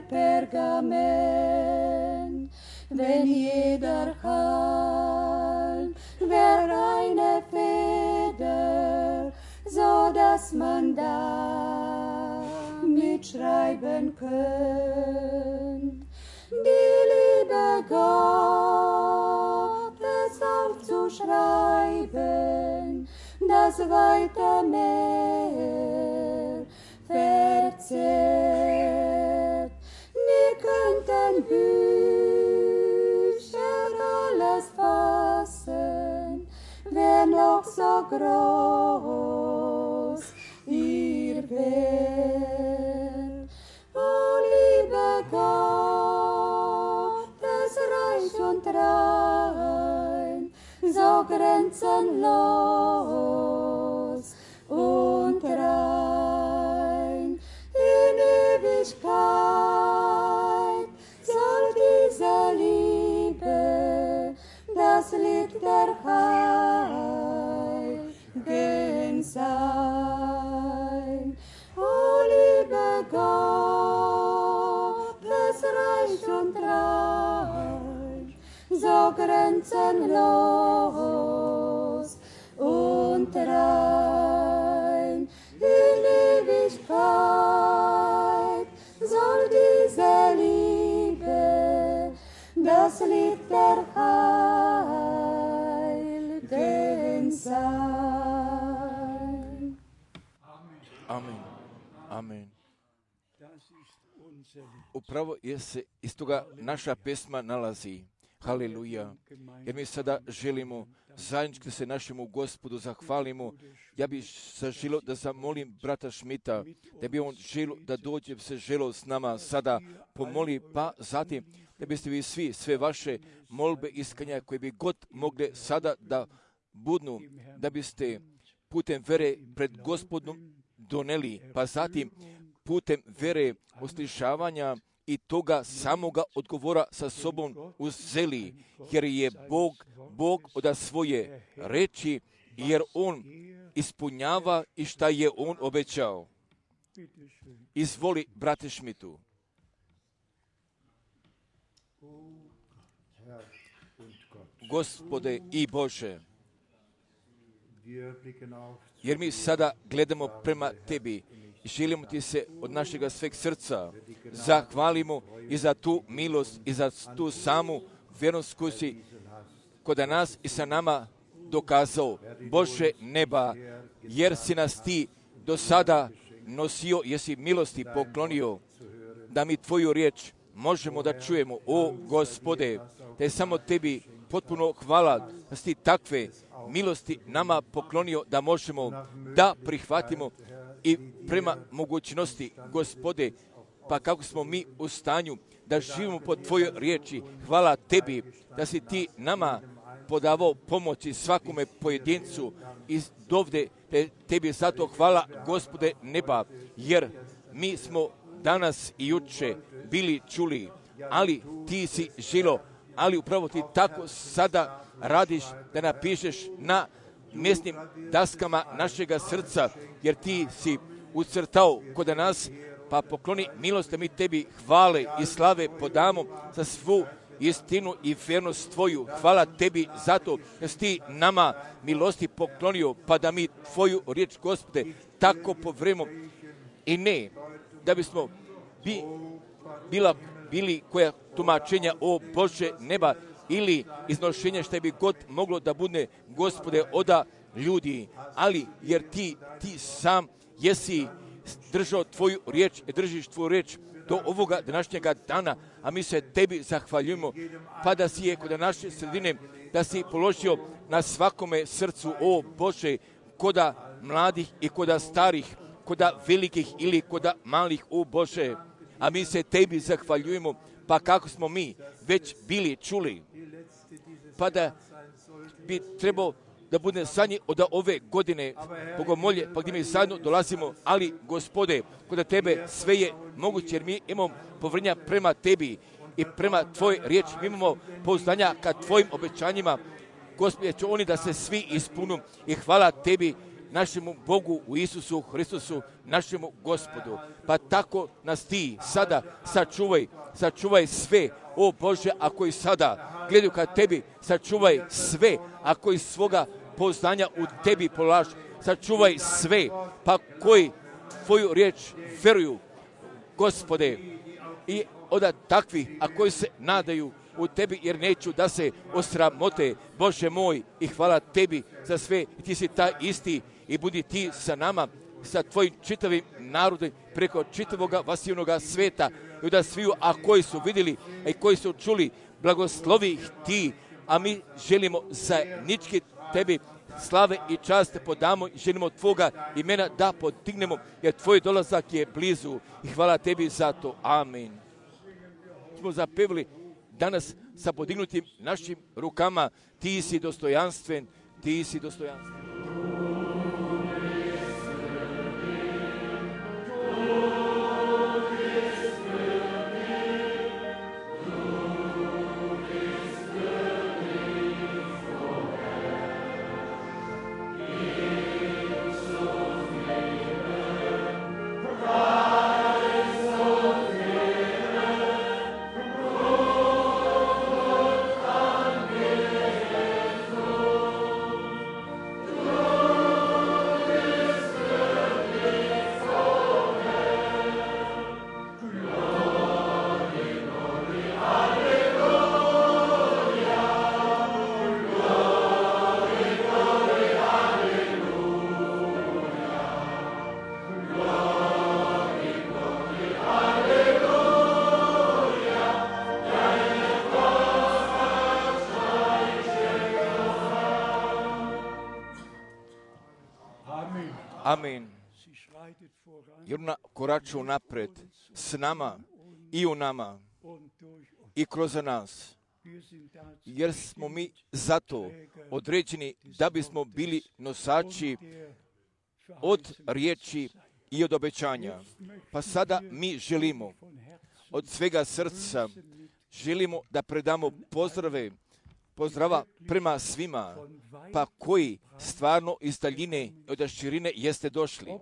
Pergament, wenn jeder Halm wär eine Feder, so dass man da mitschreiben könnt. Die Liebe Gottes aufzuschreiben, das weite Meer verzehrt. Nie könnten Bücher alles fassen, wär noch so groß ihr Wert. O liebe Gottes reich und rein, so grenzenlos und rein. In Ewigkeit soll diese Liebe das Lied der Heiligen sein. O liebe Gottes reich und rein, so grenzenlos und rein. In Ewigkeit soll diese Liebe das Lied der Heiligen sein. Amen. Amen. Upravo jer se iz toga naša pesma nalazi. Haleluja. Jer mi sada želimo zajednički se našemu Gospodu zahvalimo. Ja bih se želio da zamolim brata Šmita, da bi on želio da dođe se želio s nama sada pomoli, pa zatim da biste vi svi, sve vaše molbe iskanja koje bi god mogle sada da budnu, da biste putem vere pred Gospodom doneli, pa zatim putem vere uslišavanja i toga samoga odgovora sa sobom uzeli, jer je Bog od svoje reči, jer On ispunjava i šta je on obećao. Izvoli, brate Šmitu. Gospode i Bože, jer mi sada gledamo prema Tebi i želimo Ti se od našega sveg srca zahvalimo i za tu milost i za tu samu vjernost koju si kod nas i sa nama dokazao, Bože neba, jer si nas Ti do sada nosio, jesi milosti poklonio, da mi Tvoju riječ možemo da čujemo. O Gospode, da je samo Tebi potpuno hvala da si Ti takve milosti nama poklonio da možemo da prihvatimo i prema mogućnosti, Gospode, pa kako smo mi u stanju da živimo po Tvojoj riječi. Hvala Tebi da si Ti nama podavao pomoći svakome pojedincu iz dovde. Tebi zato hvala, Gospode neba, jer mi smo danas i juče bili čuli, ali Ti si žilo, ali upravo Ti tako sada radiš da napišeš na mjesnim daskama našega srca, jer Ti si ucrtao kod nas, pa pokloni milost da mi Tebi hvale i slave podamo za svu istinu i vjernost Tvoju. Hvala Tebi zato da si Ti nama milosti poklonio, pa da mi Tvoju riječ, Gospode, tako povremo i ne da bismo bili koja tumačenja, o Bože neba, ili iznošenja šta bi god moglo da bude, Gospode, oda ljudi, ali jer Ti sam jesi držao Tvoju riječ i držiš Tvoju riječ do ovoga današnjega dana, a mi se Tebi zahvaljujemo, pa da si je kod naše sredine, da si položio na svakome srcu, o Bože, koda mladih i koda starih, koda velikih ili koda malih, o Bože, a mi se Tebi zahvaljujemo, pa kako smo mi već bili čuli, pa da bi trebao da bude zadnji od ove godine Bogomolje, pa gdje mi zajedno dolazimo, ali Gospode, kod Tebe sve je moguće, jer mi imamo povrnja prema Tebi i prema Tvoj riječi, mi imamo pouzdanja ka Tvojim obećanjima, Gospode, će oni da se svi ispunu i hvala Tebi, našemu Bogu u Isusu Hristusu, našemu Gospodu. Pa tako nas Ti sada sačuvaj sve, o Bože, ako i sada gledaju ka Tebi, sačuvaj sve, ako iz svoga pouzdanja u Tebi polažu, sačuvaj sve, pa koji Tvoju riječ veruju, Gospode, i od takvih, a koji se nadaju u Tebi, jer neću da se osramote, Bože moj, i hvala Tebi za sve, Ti si taj isti i budi Ti sa nama, sa Tvojim čitavim narodom, preko čitavoga vasivnoga sveta, i da sviju, a koji su vidjeli, a i koji su čuli, blagoslovi ih Ti, a mi želimo zajednički Tebi slave i čast podamo i želimo Tvoga imena da podignemo, jer Tvoj dolazak je blizu i hvala Tebi za to. Amen. Smo zapevali danas sa podignutim našim rukama, Ti si dostojanstven, Ti si dostojanstven. Amen. Jer ona koraču napred s nama i u nama i kroz nas. Jer smo mi zato određeni da bismo bili nosači od riječi i od obećanja. Pa sada mi želimo od svega srca, želimo da predamo pozdrave pozdrava prema svima, pa koji stvarno iz daljine od širine jeste došli.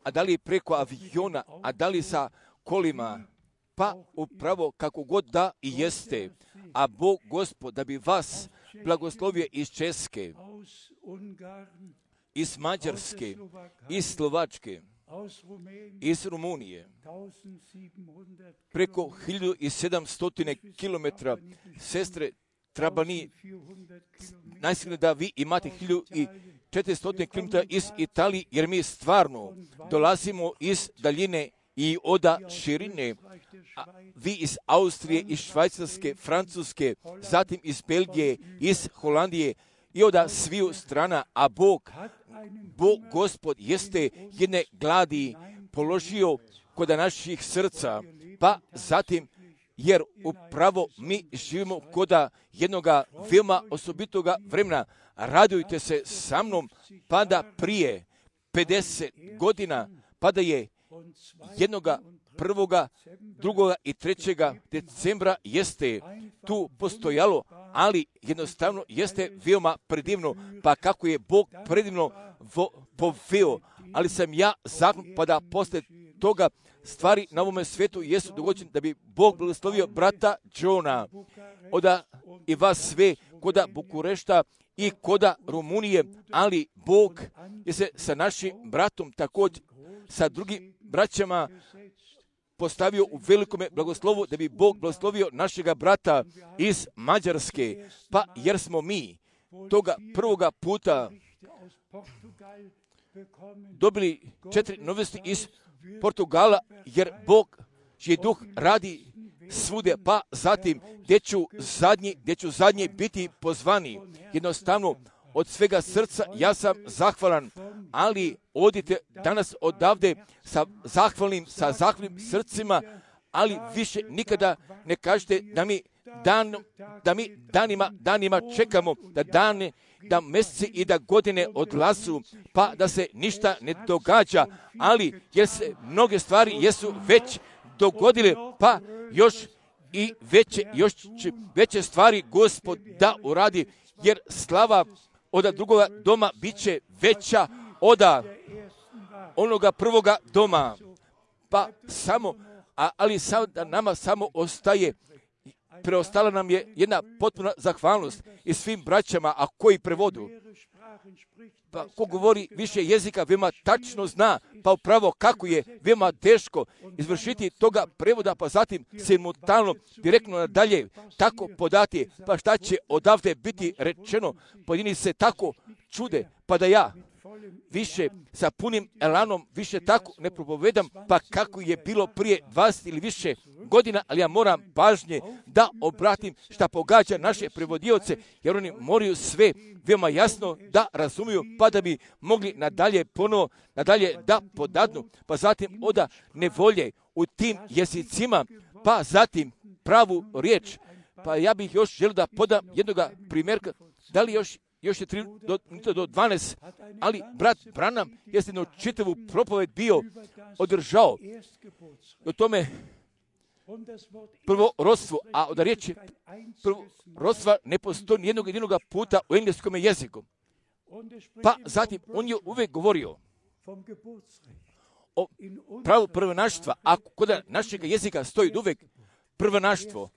A da li preko aviona, a da li sa kolima, pa upravo kako god da i jeste. A Bog Gospod da bi vas blagoslovio iz Česke, iz Mađarske, iz Slovačke, iz Rumunije, preko 1700 km, sestre Trabani, najsigurno da vi imate 1400 km iz Italije, jer mi stvarno dolazimo iz daljine i oda širine, a vi iz Austrije, iz Švajcarske, Francuske, zatim iz Belgije, iz Holandije i oda sviju strana, a Bog Gospod jeste jedne gladi položio kod naših srca, pa zatim, jer upravo mi živimo kod jednoga veoma osobitoga vremena. Radujte se sa mnom, pa da prije 50 godina, pa da je jednoga 1., 2. i 3. decembra jeste tu postojalo, ali jednostavno jeste veoma predivno, pa kako je Bog predivno poveo, ali sam ja zakon, pa da posle toga stvari na ovome svetu jesu dogođene da bi Bog blagoslovio brata Johna, oda i vas sve koda Bukurešta i koda Rumunije, ali Bog je se sa našim bratom također sa drugim braćama postavio u velikome blagoslovu da bi Bog blagoslovio našega brata iz Mađarske, pa jer smo mi toga prvoga puta dobili 4 novosti iz Portugala, jer Bog čiji duh radi svude, pa zatim gdje ću zadnji biti pozvani. Jednostavno, od svega srca ja sam zahvalan, ali odite danas odavde sa zahvalnim srcima, ali više nikada ne kažete da mi danima čekamo, da mjeseci i da godine odlazu, pa da se ništa ne događa, ali jer se mnoge stvari jesu već dogodile, pa još veće stvari Gospod da uradi, jer slava od drugoga doma bit će veća od onoga prvoga doma. Pa samo, ali nama samo ostaje, preostala nam je jedna potpuna zahvalnost i svim braćama, a koji prevodu. Pa ko govori više jezika, veoma tačno zna, pa upravo kako je veoma teško izvršiti toga prevoda, pa zatim simultano, direktno nadalje, tako podati, pa šta će odavde biti rečeno, pojedini se tako čude, pa da ja više sa punim elanom više tako ne propovedam, pa kako je bilo prije 20 ili više godina, ali ja moram pažnje da obratim šta pogađa naše prevodioce, jer oni moraju sve veoma jasno da razumiju, pa da bi mogli nadalje da podadnu, pa zatim oda nevolje u tim jezicima, pa zatim pravu riječ. Pa ja bih još želio da podam jednoga primjerka, da li još je 3 do 12, ali brat Branham je jednu čitavu propoved bio održao o tome prvorodstvu, a od riječi prvorodstva ne postoji nijednog jedinog puta u engleskom jeziku. Pa zatim on je uvijek govorio o pravu prvenaštva, a kod našeg jezika stoji uvijek prvenaštvo,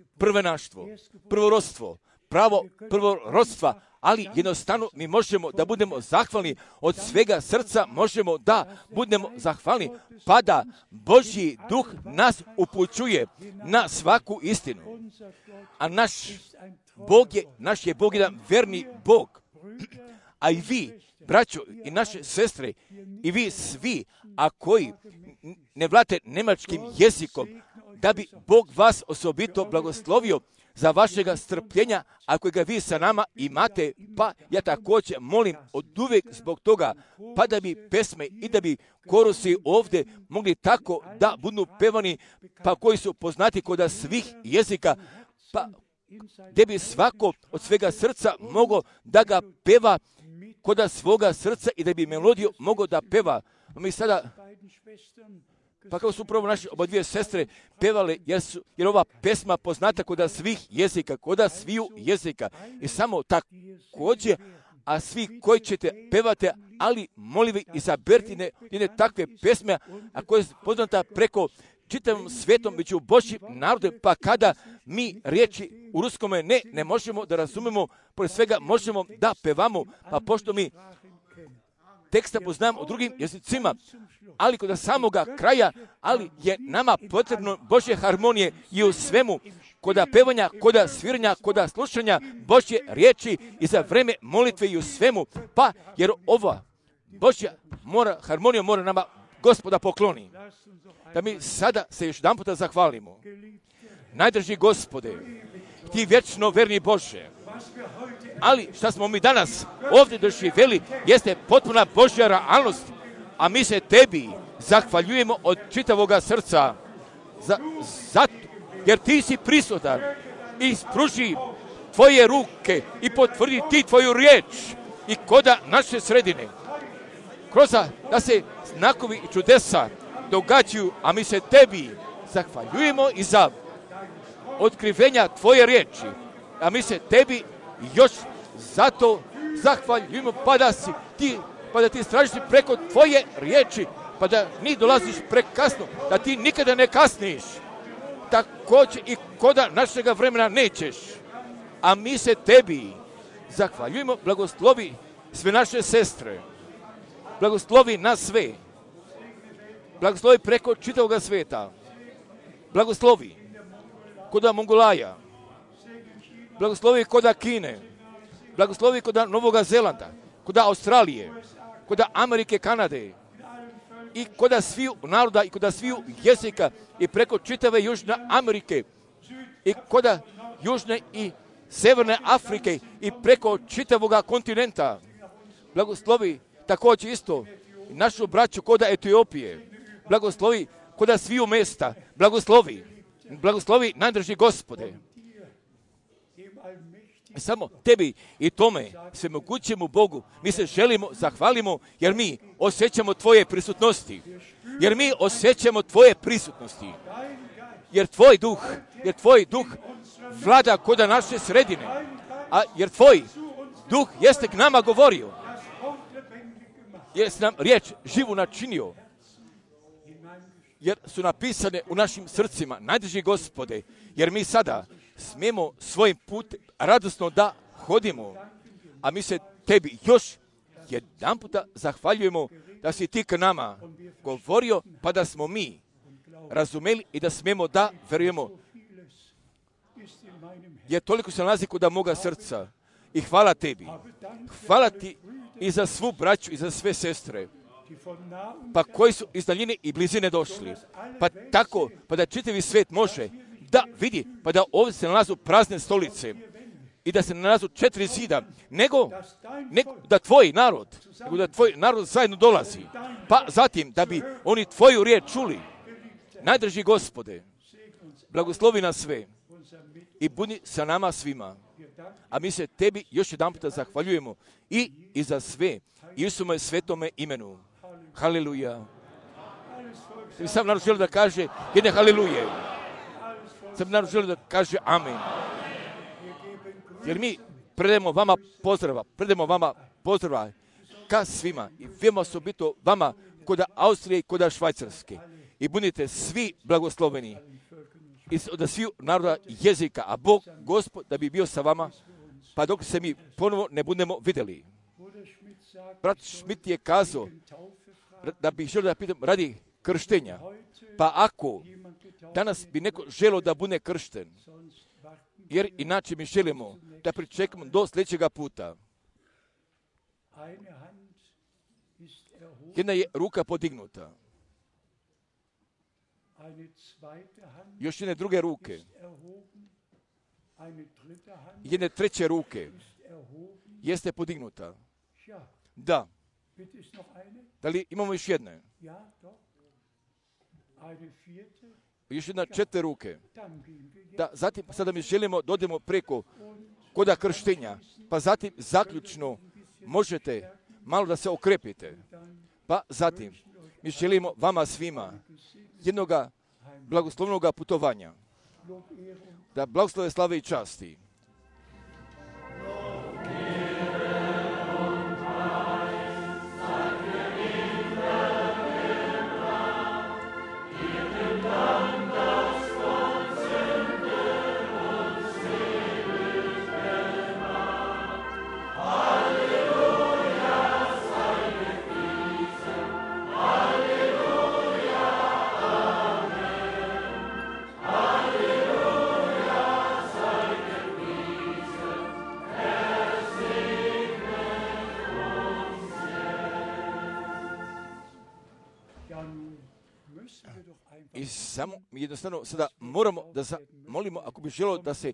prvorodstvo, pravo prvorodstva, ali jednostavno mi možemo da budemo zahvalni od svega srca, možemo da budemo zahvalni, pa da Božji duh nas upućuje na svaku istinu. A naš je Bog jedan verni Bog. A i vi, braćo i naše sestre, i vi svi, a koji ne vladate nemačkim jezikom, da bi Bog vas osobito blagoslovio za vašega strpljenja, ako ga vi sa nama imate, pa ja također molim od uvijek zbog toga, pa da bi pesme i da bi korusi ovdje mogli tako da budu pevani, pa koji su poznati kod svih jezika, pa gdje bi svako od svega srca mogao da ga peva kod svoga srca i da bi melodiju mogao da peva. Mi sada Pa kako su upravo naše oba dvije sestre pevale, jer ova pesma poznata koda svih jezika, koda sviju jezika. I samo također, a svi koji ćete pevati, ali molivi izaberite jedne takve pesme, a koje je poznata preko čitavom svijetom među Božjim narodom, pa kada mi riječi u ruskome ne možemo da razumemo, pored svega možemo da pevamo, pa pošto mi teksta poznamo u drugim jezicima, ali kod samoga kraja, ali je nama potrebno Božje harmonije i u svemu, koda pevanja, koda sviranja, koda slušanja Božje riječi i za vreme molitve i u svemu, pa jer ova Božja harmonija mora nama Gospoda pokloni. Da mi sada se još jedan puta zahvalimo. Najdrži Gospode, ti vječno verni Bože, ali šta smo mi danas ovdje doživjeli jeste potpuna Božja realnost, a mi se tebi zahvaljujemo od čitavoga srca zato jer ti si prisutan i spruži tvoje ruke i potvrdi ti tvoju riječ i koda naše sredine. Kroz da se znakovi i čudesa događaju, a mi se tebi zahvaljujemo i za otkrivenja tvoje riječi, a mi se tebi još zato zahvaljujemo, pa da ti stražiš preko tvoje riječi, pa da ni dolaziš prekasno, da ti nikada ne kasniš, također i koda našega vremena nećeš, a mi se tebi zahvaljujemo. Blagoslovi sve naše sestre, blagoslovi nas sve, blagoslovi preko čitavoga svijeta, blagoslovi koda Mongolaja, blagoslovi koda Kine, blagoslovi koda Novoga Zelanda, koda Australije, koda Amerike, Kanade i koda sviju naroda i koda sviju jezika i preko čitave Južne Amerike i koda Južne i Severne Afrike i preko čitavoga kontinenta. Blagoslovi također isto i našu braću koda Etiopije, blagoslovi koda sviju mjesta, blagoslovi najdrži Gospode. Samo tebi i tome svemogućemu Bogu mi se želimo, zahvalimo, jer mi osjećamo tvoje prisutnosti. Jer tvoj duh vlada koda naše sredine. A jer tvoj duh jeste k nama govorio. Jer si nam riječ živu načinio. Jer su napisane u našim srcima, najdrži Gospode, jer mi sada smijemo svojim putem radosno da hodimo, a mi se tebi još jedan puta zahvaljujemo da si ti k nama govorio, pa da smo mi razumeli i da smijemo da verujemo. Jer toliko se nalazi kod moga srca i hvala tebi. Hvala ti i za svu braću i za sve sestre, pa koji su iz daljine i blizine došli. Pa tako, pa da čitavi svijet može da vidi, pa da ovdje se nalazu prazne stolice i da se nalazu 4 zida, nego da tvoj narod zajedno dolazi. Pa zatim da bi oni tvoju riječ čuli. Najdrži Gospode, blagoslovi nas sve i budi sa nama svima. A mi se tebi još jedan puta zahvaljujemo i za sve Isume svetome imenu. Haleluja. Sam narod želi da kaže jedne haleluje. Sam narod želi da kaže amen. Jer mi predajemo vama pozdrava ka svima i vema osobito vama koda Austrije i koda Švajcarske. I budite svi blagosloveni od svih naroda jezika, a Bog, Gospod, da bi bio sa vama, pa dok se mi ponovo ne budemo vidjeli. Brat Schmidt je kazao da bih želio da pitam radi krštenja. Pa ako danas bi neko želio da bude kršten, jer inače mi želimo da pričekamo do sljedećega puta. Jedna je ruka podignuta. Još jedne druge ruke. Jedne treće ruke jeste podignuta. Da. Da li imamo još jedne? Još jedna 4 ruke. Da, zatim sada mi želimo da odemo preko koda krštenja. Pa zatim zaključno možete malo da se okrepite. Pa zatim mi želimo vama svima jednoga blagoslovnoga putovanja. Da blagoslove, slave i časti. I samo jednostavno sada moramo da molimo, ako bi želio da se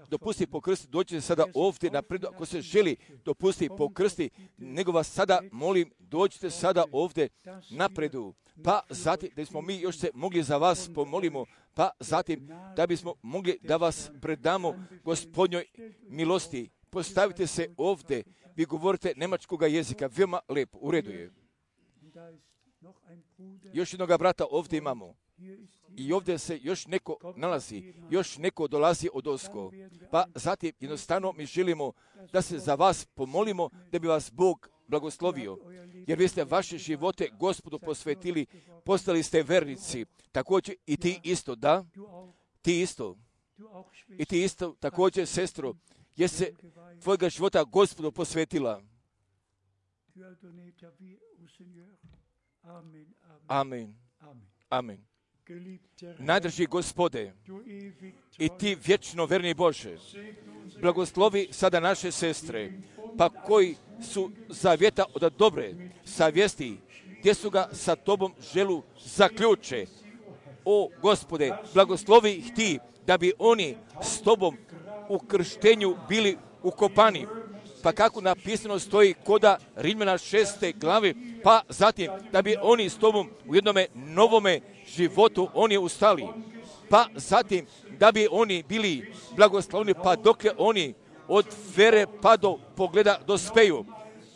dopusti pokrsti, dođite sada ovdje napred, ako se želi dopusti pokrsti, nego vas sada molim, dođite sada ovdje napredu, pa zatim da smo mi još se mogli za vas pomolimo, pa zatim da bismo mogli da vas predamo Gospodnjoj milosti. Postavite se ovdje, vi govorite njemačkoga jezika, veoma lepo, u redu je. Još jednoga brata ovdje imamo. I ovdje se još neko nalazi, još neko dolazi od osko. Pa zatim jednostavno mi želimo da se za vas pomolimo, da bi vas Bog blagoslovio. Jer vi ste vaše živote Gospodu posvetili, postali ste vernici. Također i ti isto, da? Ti isto. I ti isto, također, sestro, jer se tvojega života Gospodu posvetila. Amen. Amen. Najdrži Gospode, i ti vječno verni Bože, blagoslovi sada naše sestre, pa koji su zavjeta od dobre savjesti, gdje su ga sa tobom želu zaključe. O Gospode, blagoslovi ih ti, da bi oni s tobom u krštenju bili ukopani. Pa kako napisano stoji koda Rimljana 6. glavi, pa zatim da bi oni s tobom u jednome novome životu oni ustali. Pa zatim da bi oni bili blagoslovni, pa dokle oni od vere pa do pogleda dospeju.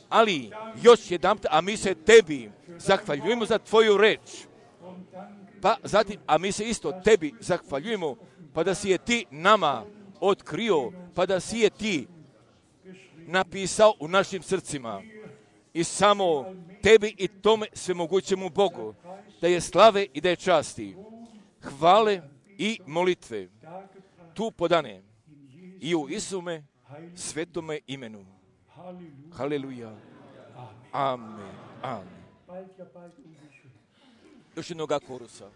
Ali još jedanput, a mi se tebi zahvaljujemo za tvoju reč. Pa zatim, a mi se isto tebi zahvaljujemo, pa da si je ti nama otkrio, pa da si je ti napisao u našim srcima. I samo tebi i tome svemogućemu Bogu, da je slave i da je časti, hvale i molitve tu podane i u Isume svetome imenu. Haleluja. Amen. Amen. Još jednoga korusa.